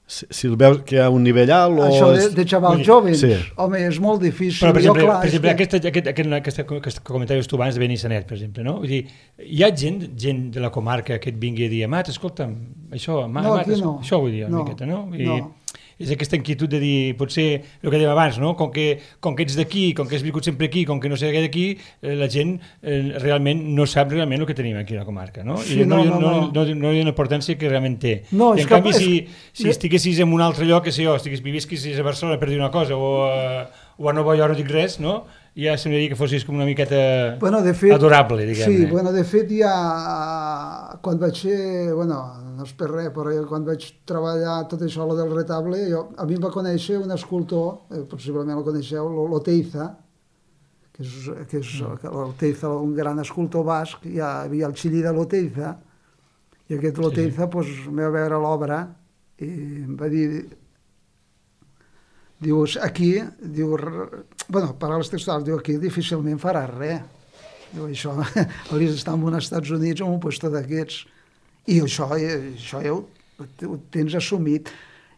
si, si el veus que hi ha un nivell alt o... Això de, és- de xavals Vull dir, jovens, sí. home, és molt difícil. Però, per exemple, jo, clar, per exemple és que... aquest, aquest, aquest, aquest, aquest que comentaves tu abans de Benissanet, per exemple, no? Vull dir, hi ha gent, gent de la comarca que et vingui a dir, Amat, escolta'm, això, Amat, No, Amat, aquí no. això vull dir una No, miqueta, no? I no. és aquesta inquietud de dir, potser, el que dèiem abans, no? Com que, com que ets d'aquí, com que has viscut sempre aquí, com que no sé què d'aquí, eh, la gent eh, realment no sap realment el que tenim aquí a la comarca, no? Sí, I no, no, no, no, no, no. no, no hi ha una importància que realment té. No, I és en que- canvi, és- si, si és- estiguessis en un altre lloc, que sé jo, estigués, vivisquis a Barcelona per dir una cosa, o a, o a Nova York, no dic res, no? ja semblaria que fossis com una miqueta bueno, de fet, adorable, diguem-ne. Sí, bueno, de fet ja quan vaig ser, bueno, no és per res, però quan vaig treballar tot això lo del retable, jo, a mi em va conèixer un escultor, eh, possiblement el coneixeu, l'Oteiza, que és, que és l'Oteiza, un gran escultor basc, hi havia el xilí de l'Oteiza, i aquest l'Oteiza sí, sí. Pues, em va veure l'obra i em va dir... Dius, aquí, diu, bueno, paraules textuals, diu, aquí difícilment faràs res. Diu, això, hauries d'estar en uns Estats Units o en un puesto d'aquests. I això, això ja ho, ho tens assumit.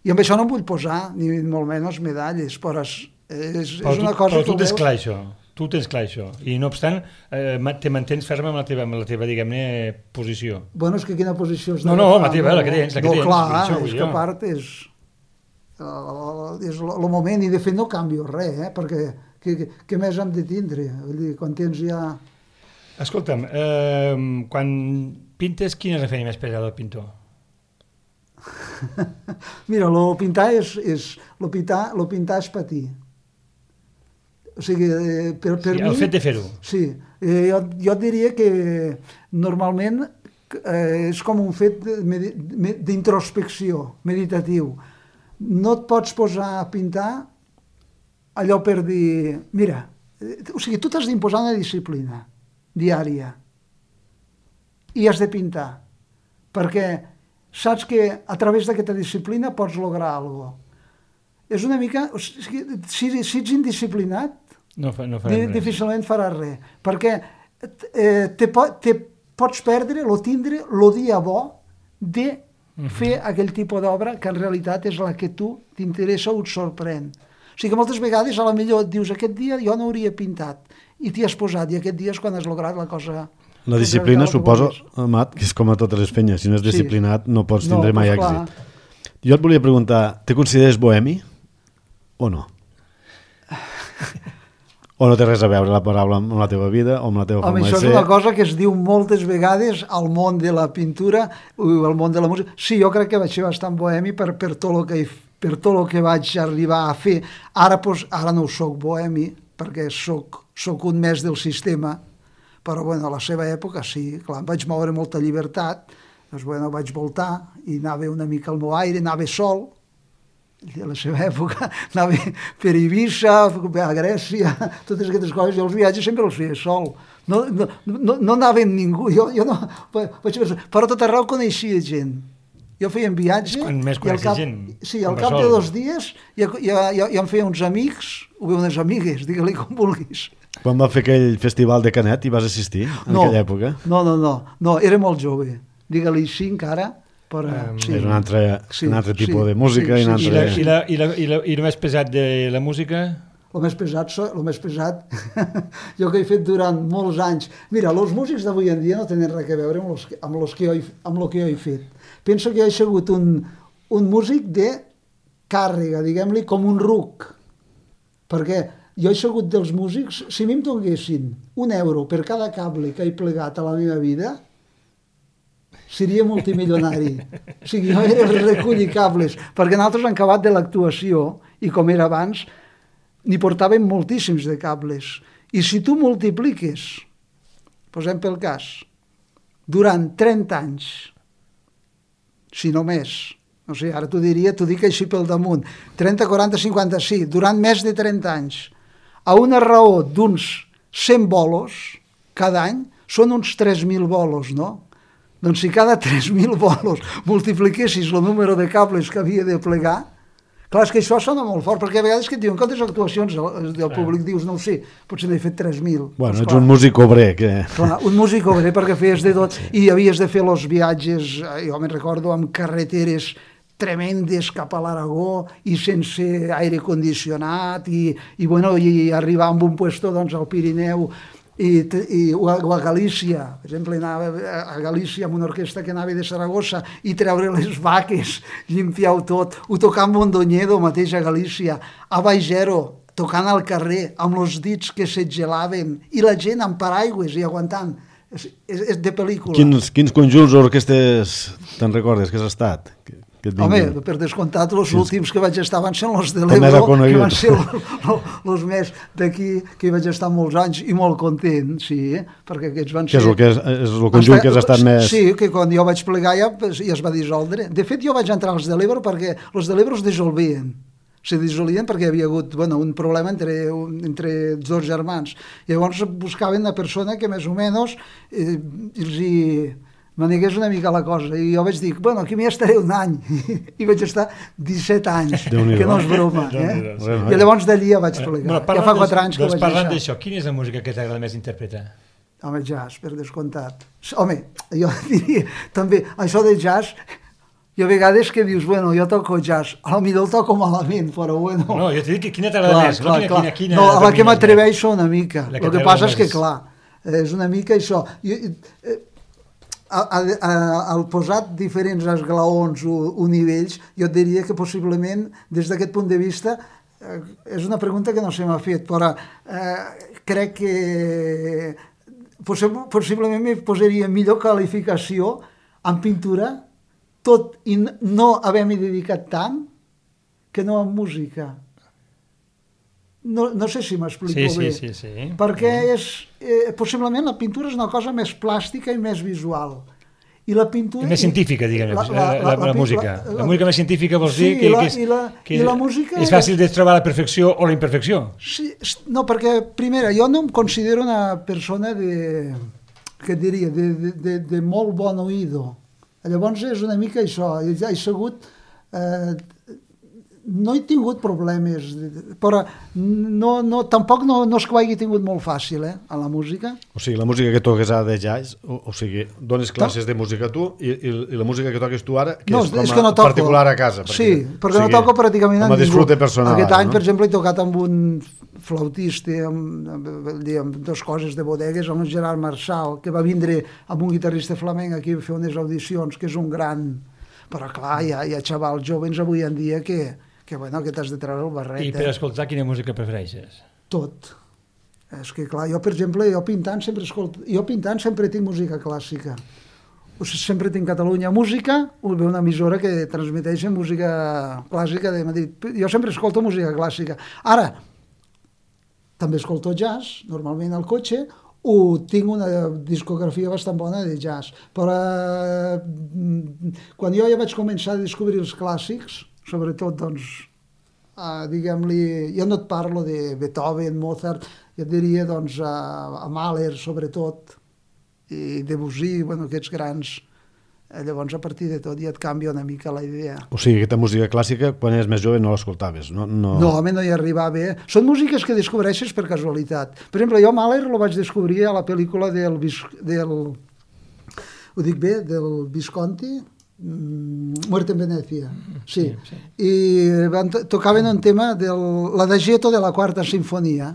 I amb això no em vull posar, ni molt menys medalles, però és, és, però és una tu, cosa... Però tu tens clar això, tu tens clar això. I no obstant, eh, te mantens ferma amb la teva, amb la teva diguem-ne, posició. Bueno, és que quina posició és... No, no, la teva, la que tens, la que no, tens. Clar, això, és que a part és... Uh, és el moment, i de fet no canvio res, eh? Perquè què, què més hem de tindre? Vull dir, quan tens ja... Escolta'm, eh, quan pintes, quina és la feina més pesada del pintor? Mira, lo pintar és, és, lo pintar, lo pintar és patir. O sigui, eh, per, per sí, mi... El fet de fer-ho. Sí, eh, jo, jo diria que normalment eh, és com un fet d'introspecció, meditatiu. No et pots posar a pintar allò per dir... Mira, o sigui, tu t'has d'imposar una disciplina diària i has de pintar, perquè saps que a través d'aquesta disciplina pots lograr alguna cosa. És una mica... O sigui, si, si ets indisciplinat, no, fa, no di, difícilment faràs res, perquè eh, te, te pots perdre o tindre el dia bo de fer aquell tipus d'obra que en realitat és la que tu t'interessa o et sorprèn. O sigui que moltes vegades a la millor et dius aquest dia jo no hauria pintat i t'hi has posat i aquest dia és quan has lograt la cosa. La disciplina suposo, Amat, que és com a totes les feines, si no és disciplinat sí. no pots tindre no, mai pues èxit. Clar. Jo et volia preguntar, te consideres bohemi o no? O no té res a veure la paraula amb la teva vida o amb la teva forma de ser? Home, això és una cosa que es diu moltes vegades al món de la pintura o al món de la música. Sí, jo crec que vaig ser bastant bohemi per, per, tot el que, per tot el que vaig arribar a fer. Ara, pues, ara no soc bohemi, perquè soc, soc un més del sistema, però bueno, a la seva època sí, clar, em vaig moure molta llibertat, doncs bueno, vaig voltar i anava una mica al meu aire, anava sol, a la seva època anava per Eivissa, a Grècia, totes aquestes coses, jo els viatges sempre els feia sol, no, no, no, no anava amb ningú, jo, jo no, vaig, però tot arreu coneixia gent, jo feia un viatge quan més i al cap, gent, sí, al cap de dos dies ja, ja, ja, ja em feia uns amics o bé unes amigues, digue-li com vulguis. Quan va fer aquell festival de Canet hi vas assistir en no, aquella època? No, no, no, no, era molt jove, digue-li així encara. Però, um, sí. És un altre, sí, un altre tipus sí, de música. Sí, sí, sí, altre... I, la, i, la, i, la, I el més pesat de la música? El més pesat, el més pesat jo que he fet durant molts anys. Mira, els músics d'avui en dia no tenen res a veure amb els, amb els que jo he, amb el que jo he fet. Penso que jo he sigut un, un músic de càrrega, diguem-li, com un ruc. Perquè jo he sigut dels músics, si a mi em donguessin un euro per cada cable que he plegat a la meva vida, seria multimilionari. O sigui, jo era el recollir cables, perquè nosaltres hem acabat de l'actuació, i com era abans, n'hi portàvem moltíssims de cables. I si tu multipliques, posem pel cas, durant trenta anys, si no més, no sé, ara t'ho diria, t'ho dic així pel damunt, trenta, quaranta, cinquanta, sí, durant més de trenta anys, a una raó d'uns cent bolos cada any, són uns tres mil bolos, no? Doncs si cada tres mil bolos multipliquessis el número de cables que havia de plegar, clar, és que això sona molt fort, perquè a vegades que et diuen quantes actuacions del públic dius, no ho sé, potser n'he fet tres mil. Bueno, ets un músic obrer. Que... Clar, un músic obrer perquè feies de tot i havies de fer els viatges, jo me'n recordo, amb carreteres tremendes cap a l'Aragó i sense aire condicionat i, i, bueno, i arribar a un puesto doncs, al Pirineu i, i, o a Galícia, per exemple, anava a Galícia amb una orquestra que anava de Saragossa i treure les vaques, limpiar-ho tot, o tocar amb Mondoñedo mateix a Galícia, a Baigero, tocant al carrer, amb els dits que se gelaven, i la gent amb paraigües i aguantant. És, és, és de pel·lícula. Quins, quins conjunts o orquestes te'n recordes que has estat? Home, per descomptat, els sí, últims que vaig estar van ser els de l'Ebro, que van ser els més d'aquí, que hi vaig estar molts anys i molt content, sí, perquè aquests van ser... Que és el, que és, és el conjunt que has estat més... Sí, que quan jo vaig plegar ja, ja es va dissoldre. De fet, jo vaig entrar als de l'Ebro perquè els de l'Ebro es dissolvien. Se dissolien perquè hi havia hagut bueno, un problema entre, entre dos germans. Llavors buscaven una persona que més o menys eh, els hi... m'anegués una mica la cosa, i jo vaig dir, bueno, aquí m'hi estaré un any, i vaig estar disset anys, que no és broma, eh? I llavors d'allí ja vaig plegar, ja fa quatre anys que ho vaig deixar. Parlant d'això, quina és la música que t'agrada més interpretar? Home, jazz, per descomptat. Home, jo diria, també, això de jazz, i a vegades que dius, bueno, jo toco jazz, a lo millor el toco malament, però bueno... No, jo t'he dit que quina t'agrada més, clar, no clar. Quina, quina, no, a la que m'atreveixo una mica, el que, que passa és que, més. clar, és una mica això... Jo, eh, A, a, a, al posat diferents esglaons o, o nivells, jo et diria que possiblement, des d'aquest punt de vista, eh, és una pregunta que no se m'ha fet, però eh, crec que possib possiblement me posaria millor qualificació en pintura, tot i no haver-m'hi dedicat tant, que no en música. No, no sé si m'explico sí, bé, sí, sí, sí. perquè és, eh, possiblement la pintura és una cosa més plàstica i més visual. I la pintura... I més científica, diguem, la, la, la, la, la, la música. La, la, la música més científica vols sí, dir que, la, que, és, i la, que i la música és fàcil de trobar la perfecció o la imperfecció. Sí, no, perquè, primera, jo no em considero una persona de... què et diria? De, de, de, de molt bon oïdo. Llavors és una mica això. He sigut... Eh, no he tingut problemes, però no, no, tampoc no, no és que ho hagi tingut molt fàcil, eh, a la música. O sigui, la música que toques ara de jazz, o, o sigui, dones classes de música tu i, i, i la música que toques tu ara, que no, és com a és que no toco. Particular a casa. Perquè, sí, perquè o sigui, no toco pràcticament amb ningú. Com a disfrute personal. Aquest any, no? per exemple, he tocat amb un flautista, amb, amb, amb dues coses de bodegues, amb un Gerard Marçal, que va vindre amb un guitarrista flamenc aquí a fer unes audicions, que és un gran... Però clar, hi ha, hi ha xavals joves avui en dia que... que, bueno, que t'has de treure el barret. I per escoltar, quina música prefereixes? Tot. És que, clar, jo, per exemple, jo pintant sempre escolto... Jo pintant sempre tinc música clàssica. O sigui, sempre tinc Catalunya Música, o ve una emissora que transmeteix música clàssica de Madrid. Jo sempre escolto música clàssica. Ara, també escolto jazz, normalment al cotxe, o tinc una discografia bastant bona de jazz. Però eh, quan jo ja vaig començar a descobrir els clàssics, sobretot, doncs, uh, diguem-li, jo no et parlo de Beethoven, Mozart, jo et diria, doncs, a, a Mahler, sobretot, i Debussy, bueno, aquests grans. Eh, llavors, a partir de tot, ja et canvia una mica la idea. O sigui, aquesta música clàssica, quan eres més jove, no l'escoltaves, no? No, no home, no hi arribava. Eh? Són músiques que descobreixes per casualitat. Per exemple, jo Mahler lo vaig descobrir a la pel·lícula del... del ho dic bé? Del Visconti, Muerte en Venecia, sí, sí, sí. I van to tocaven un tema de l'Adagietto de la quarta sinfonia,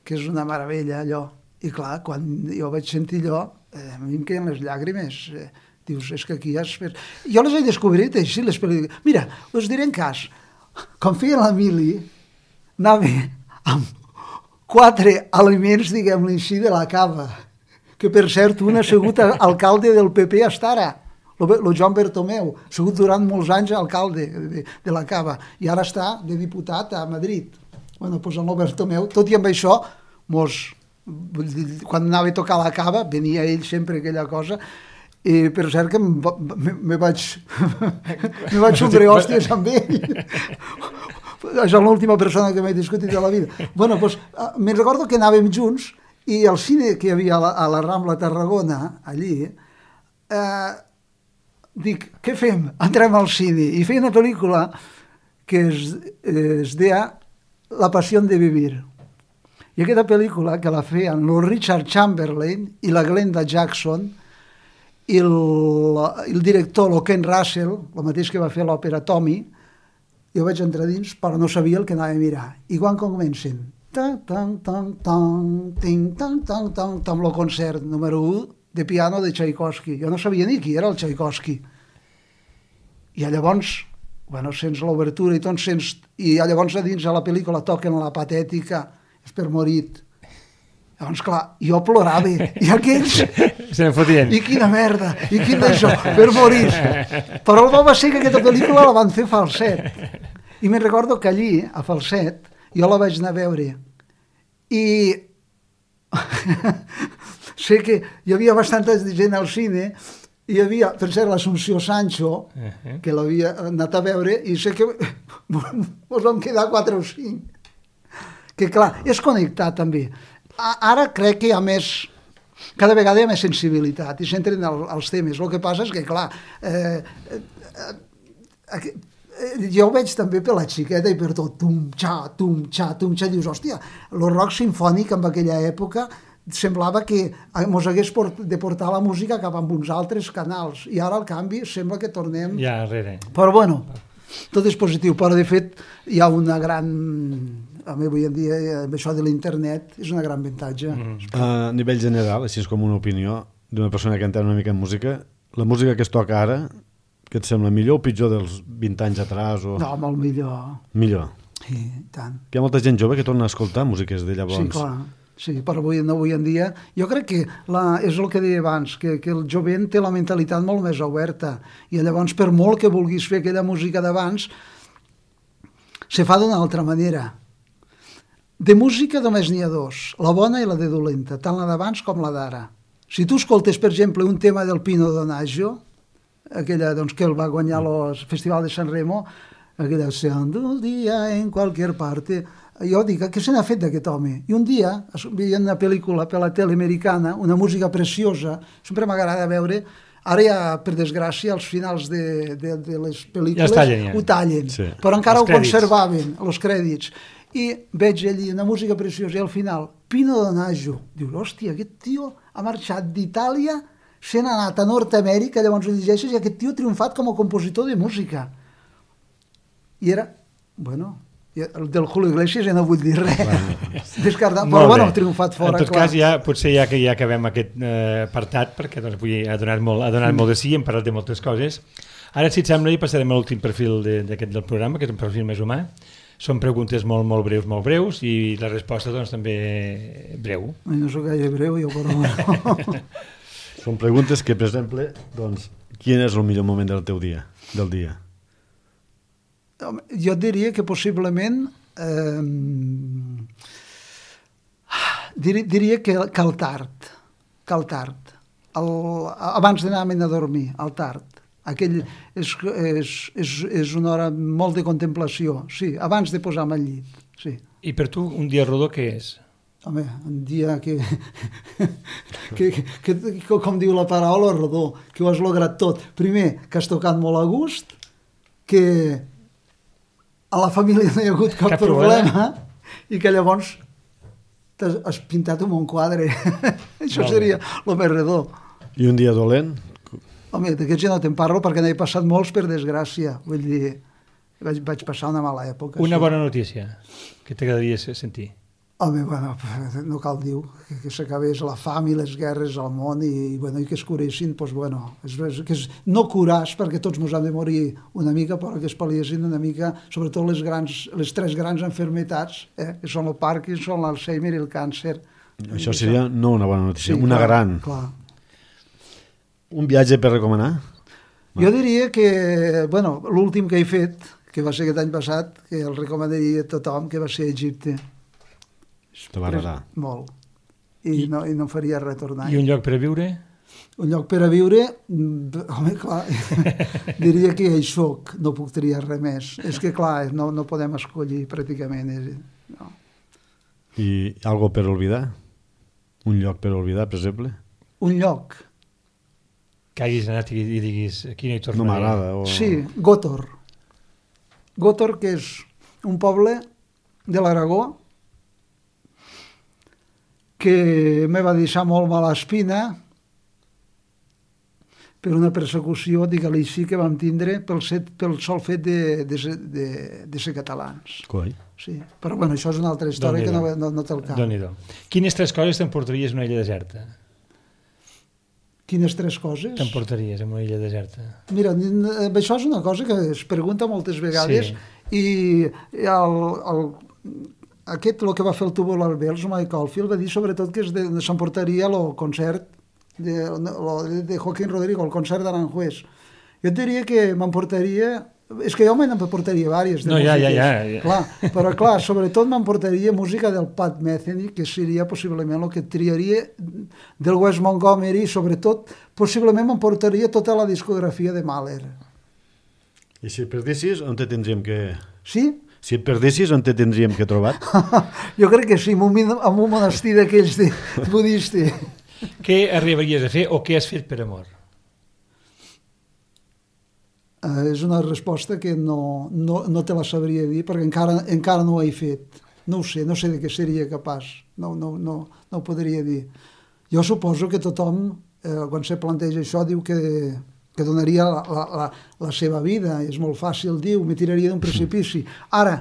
que és una meravella allò, i clar, quan jo vaig sentir allò, eh, a mi em queden les llàgrimes, eh, dius, és que aquí ja... Es... Jo les he descobrit així, les pel·lícules. Mira, us diré en cas, com feia l'Emili, anava amb quatre aliments, diguem-li així, de la cava, que per cert, un ha sigut alcalde del P P hasta ara, el Joan Bertomeu, ha sigut durant molts anys alcalde de, de la Cava, i ara està de diputat a Madrid. Bueno, doncs el Bertomeu, tot i amb això, mos, quan anava a tocar la Cava, venia ell sempre aquella cosa, i per cert que me, me vaig me vaig sobre hòsties amb ell. És l'última persona que m'he discutit de la vida. Bueno, doncs, me'n recordo que anàvem junts, i el cine que hi havia a la, a la Rambla Tarragona, allí, eh, dic, què fem? Entrem al cine. I feia una pel·lícula que es, es deia La passió de vivir. I aquesta pel·lícula, que la feien el Richard Chamberlain i la Glenda Jackson, i el, el director, el Ken Russell, el mateix que va fer l'òpera Tommy, jo vaig entrar dins, però no sabia el que anava a mirar. I quan comencen? Tan, tan, tan, tan, tan, tan, tan, tan, tan, el concert número u de piano de Tchaikovsky. Jo no sabia ni qui era el Tchaikovsky. I llavors, bueno, sents l'obertura i tot, sents... I llavors a dins a la pel·lícula toquen la patètica, és per morit. Llavors, clar, jo plorava, i aquells... Se n'en fotien. I quina merda, i quin d'això, per morir. Però el bo va ser que aquesta pel·lícula la van fer Falset. I me'n recordo que allí, a Falset, jo la vaig anar a veure. I sé que hi havia bastanta gent al cine. Hi havia, per cert, l'Assumpció Sancho, uh-huh. que l'havia anat a veure, i sé que ens vam quedar quatre o cinc. Que clar, és connectat també. Ara crec que hi ha més, cada vegada hi ha més sensibilitat i s'entren als temes. El que passa és que, clar, eh, eh, eh, jo ho veig també per la xiqueta i per tot, tum, xa, tum, xa, tum, xa, dius, hòstia, el rock sinfònic en aquella època semblava que ens hagués de portar la música cap a uns altres canals i ara al canvi sembla que tornem ja darrere. Però bueno, tot és positiu, però de fet hi ha una gran, a mi avui en dia amb això de l'internet és una gran avantatge. Mm. A nivell general, així és com una opinió d'una persona que entén una mica en música, la música que es toca ara, que et sembla millor o pitjor dels vint anys atrás? O... No, molt millor. Millor? Sí, tant. Hi ha molta gent jove que torna a escoltar músiques de llavors. Sí, clar. Sí, però avui, avui en dia, jo crec que la, és el que deia abans, que, que el jovent té la mentalitat molt més oberta i llavors per molt que vulguis fer aquella música d'abans, se fa d'una altra manera. De música només n'hi ha dos, la bona i la de dolenta, tant la d'abans com la d'ara. Si tu escoltes, per exemple, un tema del Pino Donaggio, aquella doncs, que el va guanyar el Festival de San Remo, aquella «Seando un dia en qualquer parte», jo dic, què se n'ha fet d'aquest home? I un dia, veient una pel·lícula per la tele americana, una música preciosa, sempre m'agrada veure, ara ja, per desgràcia, als finals de, de, de les pel·lícules ja tallen, ja. ho tallen, sí. Però encara els ho conservaven, els crèdits. I veig allí una música preciosa i al final, Pino Donaggio, dius, hòstia, aquest tio ha marxat d'Itàlia, se n'ha anat a Nord-Amèrica, llavors ho llegeixes, i aquest tio ha triomfat com a compositor de música. I era, bueno... del Julio Iglesias ja no vull dir res, descartat, però bueno, ha triomfat fora. En tot clar. cas, ja, potser ja que ja acabem aquest eh, apartat, perquè doncs, avui ha donat, molt, ha donat mm. molt de sí, hem parlat de moltes coses. Ara, si et sembla, ja passarem a l'últim perfil d'aquest del programa, que és un perfil més humà. Són preguntes molt, molt breus, molt breus, i la resposta doncs, també breu. No soc gaire breu, jo, però bueno. Són preguntes que, per exemple, doncs, quin és el millor moment del teu dia, del dia? Jo diria que possiblement eh, diria, diria que, que el tard, que el tard, el, abans d'anar a dormir, el tard. Aquell és, és, és, és una hora molt de contemplació, sí, abans de posar-me al llit, sí. I per tu un dia rodó què és? Home, un dia que, que, que, que, com diu la paraula, rodó, que ho has lograt tot. Primer, que has tocat molt a gust, que a la família no hi ha hagut cap, cap problema, problema i que llavors has pintat un bon quadre. Això seria el més redó. I un dia dolent? Home, d'aquests ja no te'n parlo perquè n'he passat molts per desgràcia. Vull dir, vaig, vaig passar una mala època. Una sí. Bona notícia que t'agradaria sentir? Home, bueno, no cal dir que, que s'acabés la fam i les guerres al món i, bueno, i que es curessin, doncs, bueno, és, és, que és, no curàs perquè tots ens hem de morir una mica, però que es pal·liessin una mica, sobretot les, grans, les tres grans enfermetats, eh, que són el Parkinson, l'Alzheimer i el càncer. Això seria no una bona notícia, sí, una clar, gran. Clar. Un viatge per recomanar? Jo diria que, bueno, l'últim que he fet, que va ser aquest any passat, que el recomanaria a tothom, que va ser a Egipte. Te va agradar? Molt. I, I, no, I no em faria retornar. I un lloc per a viure? Un lloc per a viure, home, clar, diria que hi soc, no puc triar res més. És que, clar, no, no podem escollir pràcticament. No. I algo per oblidar? Un lloc per oblidar, per exemple? Un lloc. Que hagis anat i, i diguis, aquí no hi tornaré. No m'agrada. O... Sí, Gótor. Gótor, que és un poble de l'Aragó, que me va deixar molt mala espina per una persecució, digue-li així, que vam tindre pel, set, pel sol fet de, de, de, de ser catalans. Coi. Sí. Però bueno, això és una altra història que no, no, no té el cap. Déu-n'hi-do. Quines tres coses t'emportaries en una illa deserta? Quines tres coses? T'emportaries en una illa deserta? Mira, això és una cosa que es pregunta moltes vegades, sí. i el, el, aquest, el que va fer el Tubular Bells, Mike Oldfield, va dir sobretot que s'emportaria el concert de, de Joaquín Rodrigo, el concert d'Aranjuez. Jo et diria que m'emportaria... És que jo me'n emportaria diverses de no, músiques. Ja, ja, ja. Clar, però clar, sobretot m'emportaria música del Pat Metheny, que seria possiblement el que triaria del Wes Montgomery, sobretot, possiblement m'emportaria tota la discografia de Mahler. I si et perdessis, on te tindríem que... Sí? Si et perdessis, on te tindríem que trobar? Jo crec que sí, en un, en un monestir d'aquells de budista. Què arribaries a fer o què has fet per amor? Uh, és una resposta que no, no, no te la sabria dir perquè encara, encara no ho he fet. No ho sé, no sé de què seria capaç. No, no, no, no ho podria dir. Jo suposo que tothom, eh, quan se planteja això, diu que, que donaria la, la, la, la seva vida. És molt fàcil dir, me tiraria d'un precipici. Ara,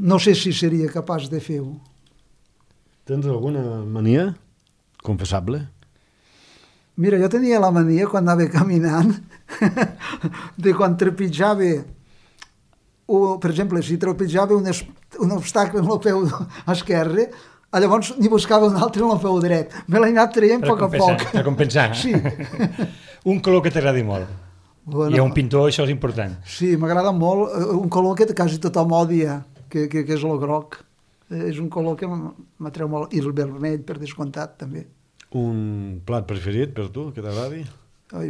no sé si seria capaç de fer-ho. Tens alguna mania confessable? Mira, jo tenia la mania quan anava caminant de quan trepitjava, o, per exemple, si trepitjava un, es, un obstacle amb el peu esquerre, llavors n'hi buscava un altre amb el peu dret. Me l'he anat traient a poc a poc. Per compensar. Sí. Un color que t'agradi molt. Bueno, I a un pintor això és important. Sí, m'agrada molt. Un color que quasi tothom odia, que, que, que és el groc. És un color que m'atreu molt. I el vermell, per descomptat, també. Un plat preferit per tu, que t'agradi? Ai,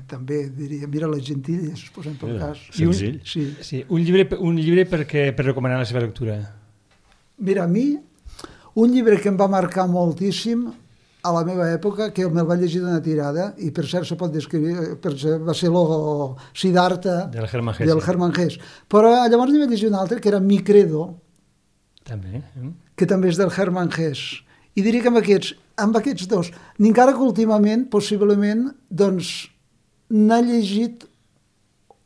també diria, mira les gentilles, posem per Mira, cas. senzill. Un, sí. Sí, un llibre, un llibre perquè, per recomanar la seva lectura. Mira, a mi, un llibre que em va marcar moltíssim a la meva època, que me'l va llegir d'una tirada, i per cert se pot descriure, per cert, va ser el Siddhartha del Hermann Hesse. Del Hermann Hesse. Però llavors n'hi va llegir un altre, que era Mi Credo, també, eh? que també és del Hermann Hesse. I diria que amb aquests, amb aquests dos, ni encara que últimament, possiblement, doncs, n'ha llegit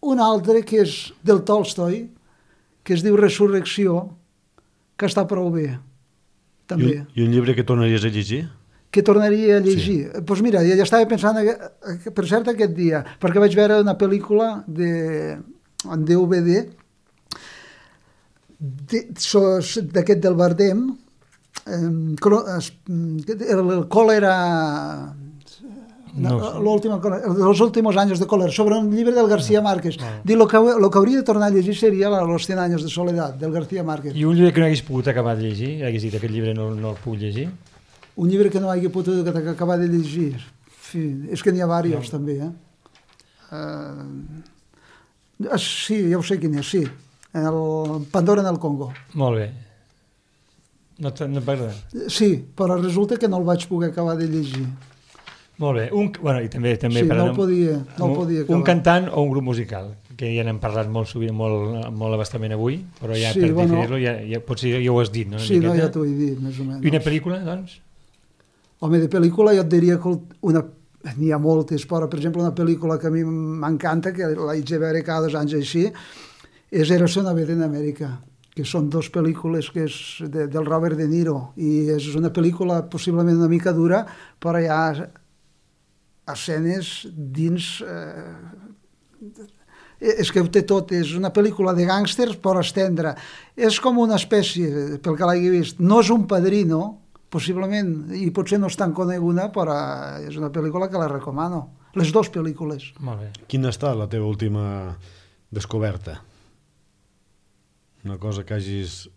un altre que és del Tolstoi, que es diu Resurrecció, que està prou bé, també. I un, I un llibre que tornaries a llegir? Que tornaria a llegir. Doncs sí. pues mira, ja estava pensant, per cert, aquest dia, perquè vaig veure una pel·lícula de, en D V D d'aquest del Bardem, el còlera, no, los últimos años de còlera, sobre un llibre del García Márquez. No. Diu, lo que, lo que hauria de tornar a llegir seria Los cien años de soledad, del García Márquez. I un llibre que no hagués pogut acabar de llegir? Hagués dit, aquest llibre no, no el puc llegir? Un llibre que no hagi pogut acabar de llegir? Sí, és que n'hi ha diversos, no. també. Eh? Uh, sí, ja ho sé quin és, sí. El Pandora en el Congo. Molt bé. No, no t'agrada? Sí, però resulta que no el vaig poder acabar de llegir. Molt bé. Un, bueno, i també, també sí, parlant, no el podia, no un, el podia acabar. Un cantant o un grup musical, que ja n'hem parlat molt sovint, molt, molt abastament avui, però ja sí, per bueno, definir-lo, ja, ja, potser ja ho has dit, no? Sí, no, ja t'ho he dit, més o menys. I una pel·lícula, doncs? Home, de pel·lícula jo et diria que una... n'hi ha moltes, però, per exemple, una pel·lícula que a mi m'encanta, que l'haig de veure cada dos anys així, és Érase una vez en Amèrica, que són dues pel·lícules que és de, del Robert De Niro, i és una pel·lícula possiblement una mica dura, però hi ha escenes dins... Eh, és que ho té tot, és una pel·lícula de gàngsters, però estendre. És com una espècie, pel que l'hagi vist, no és un Padrino, possiblement, i potser no és tan coneguda, però és una pel·lícula que la recomano. Les dues pel·lícules. Molt bé. Quina ha estat la teva última descoberta? Una cosa que hagis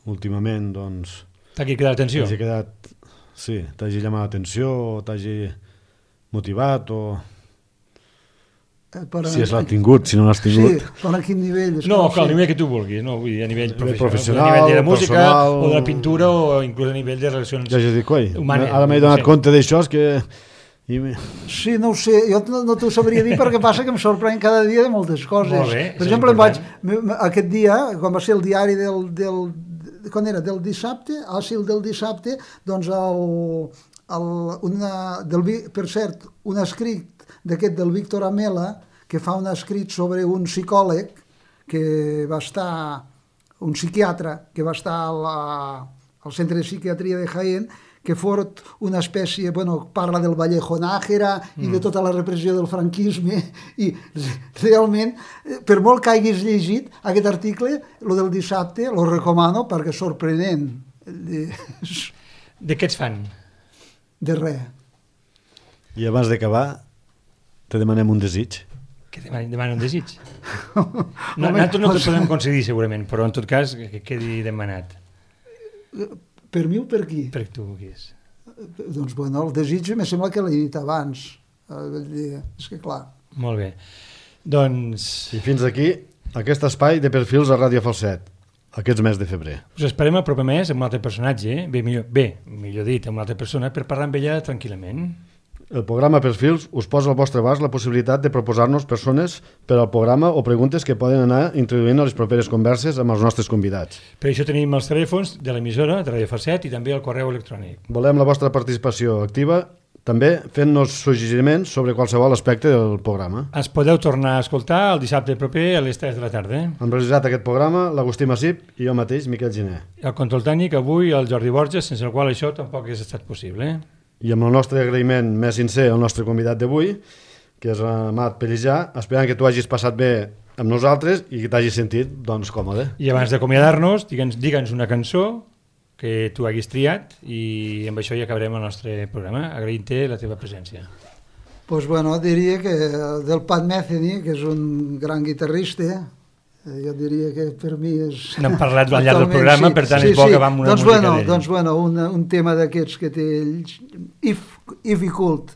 últimament, doncs... T'hagi quedat l'atenció? T'hagi quedat... Sí, t'hagi llamat l'atenció, o t'hagi motivat, o... Eh, però, si l'has tingut, si no l'has tingut. Sí, però a quin nivell? És no, que que al sé. nivell que tu vulguis, no? Vull dir, a nivell professional, professional, a nivell de la música, personal... o de la pintura, o inclús a nivell de relacions ja dic, coi, humanes. Ara m'he donat no sé. compte d'això, és que... I... Sí, no ho sé, jo no, no t'ho sabria dir perquè passa que em sorprèn cada dia de moltes coses. Molt bé, per exemple, em vaig, aquest dia, quan va ser el diari del, del, quan era, del dissabte, ah sí, el del dissabte, doncs el, el, una, del, per cert, un escrit d'aquest del Víctor Amela, que fa un escrit sobre un psicòleg que va estar, un psiquiatre que va estar a la, al centre de psiquiatria de Jaén, que fos una espècie, bueno, parla del Vallejo Nájera mm. i de tota la repressió del franquisme, i realment, per molt que hagis llegit aquest article, lo del dissabte, lo recomano perquè és sorprenent. De, de què ets fan? De res. I abans d'acabar, te demanem un desig. Que demanen, demanen un desig? No, nosaltres no t'ho podem concedir segurament, però en tot cas que quedi demanat. Per mi o per qui? Per tu qui és? Doncs bueno, el desig me sembla que l'he dit abans. És que clar. Molt bé. Doncs... I fins aquí aquest espai de perfils a Ràdio Falset, aquests mes de febrer. Us esperem el proper mes amb un altre personatge, bé, millor, bé, millor dit, amb una altra persona, per parlar amb ella tranquil·lament. El programa Perfils us posa al vostre abast la possibilitat de proposar-nos persones per al programa o preguntes que poden anar introduint a les properes converses amb els nostres convidats. Per això tenim els telèfons de l'emissora de Ràdio Falset i també el correu electrònic. Volem la vostra participació activa, també fent-nos suggeriments sobre qualsevol aspecte del programa. Ens podeu tornar a escoltar el dissabte proper a les tres de la tarda. Hem realitzat aquest programa l'Agustí Massip i jo mateix, Miquel Giner. El control tècnic avui el Jordi Borges, sense el qual això tampoc hagués estat possible. I amb el nostre agraïment més sincer al nostre convidat d'avui, que és Amat Pellijà, esperant que tu hagis passat bé amb nosaltres i que t'hagis sentit doncs, còmode. I abans d'acomiadar-nos, digue'ns digue'ns una cançó que tu haguis triat i amb això ja acabarem el nostre programa, agraint-te la teva presència. Pues bueno, diria que del Pat Metheny, que és un gran guitarrista, jo diria que per mi és... N'hem parlat al llarg del programa, sí, per tant sí, és bo sí. que va amb una doncs música bueno, d'ell. Doncs bueno, un, un tema d'aquests que té ells, If, if He Could,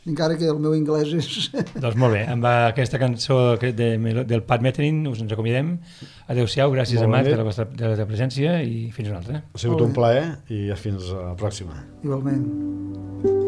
encara que el meu anglès és... Doncs molt bé, amb aquesta cançó de, del Pat Metheny us ens acomiadem. Adéu-siau, gràcies a Amat de la vostra de la presència i fins una altra. Ha sigut un plaer i fins a la pròxima. Igualment.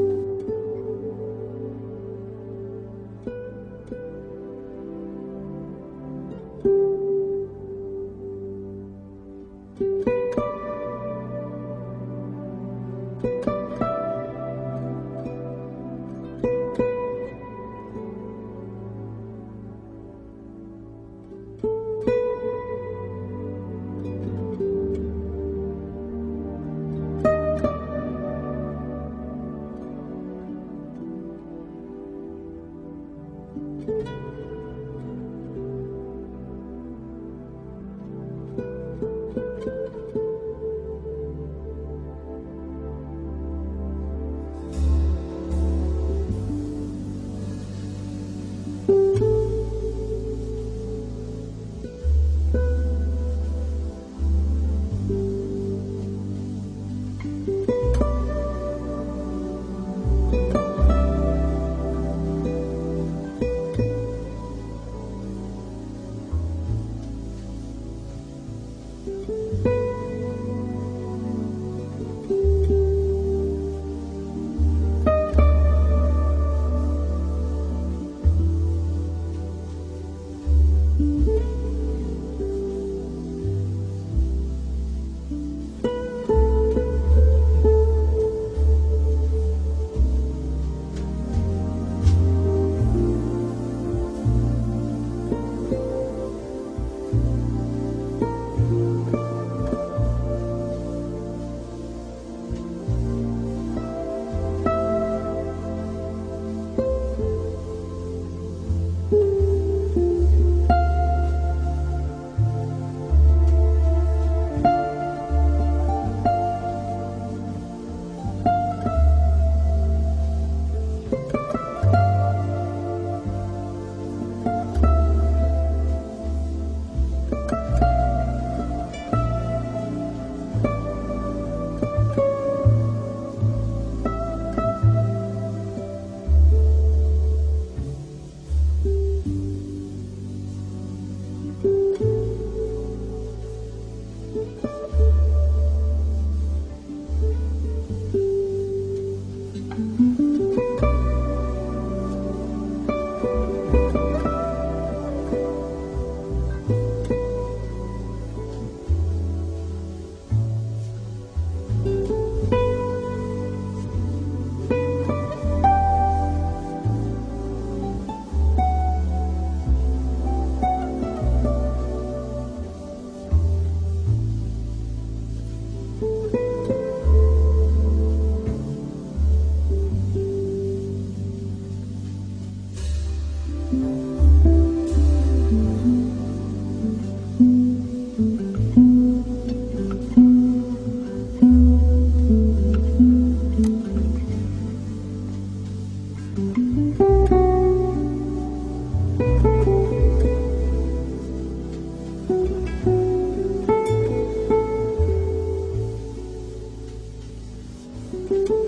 Thank you.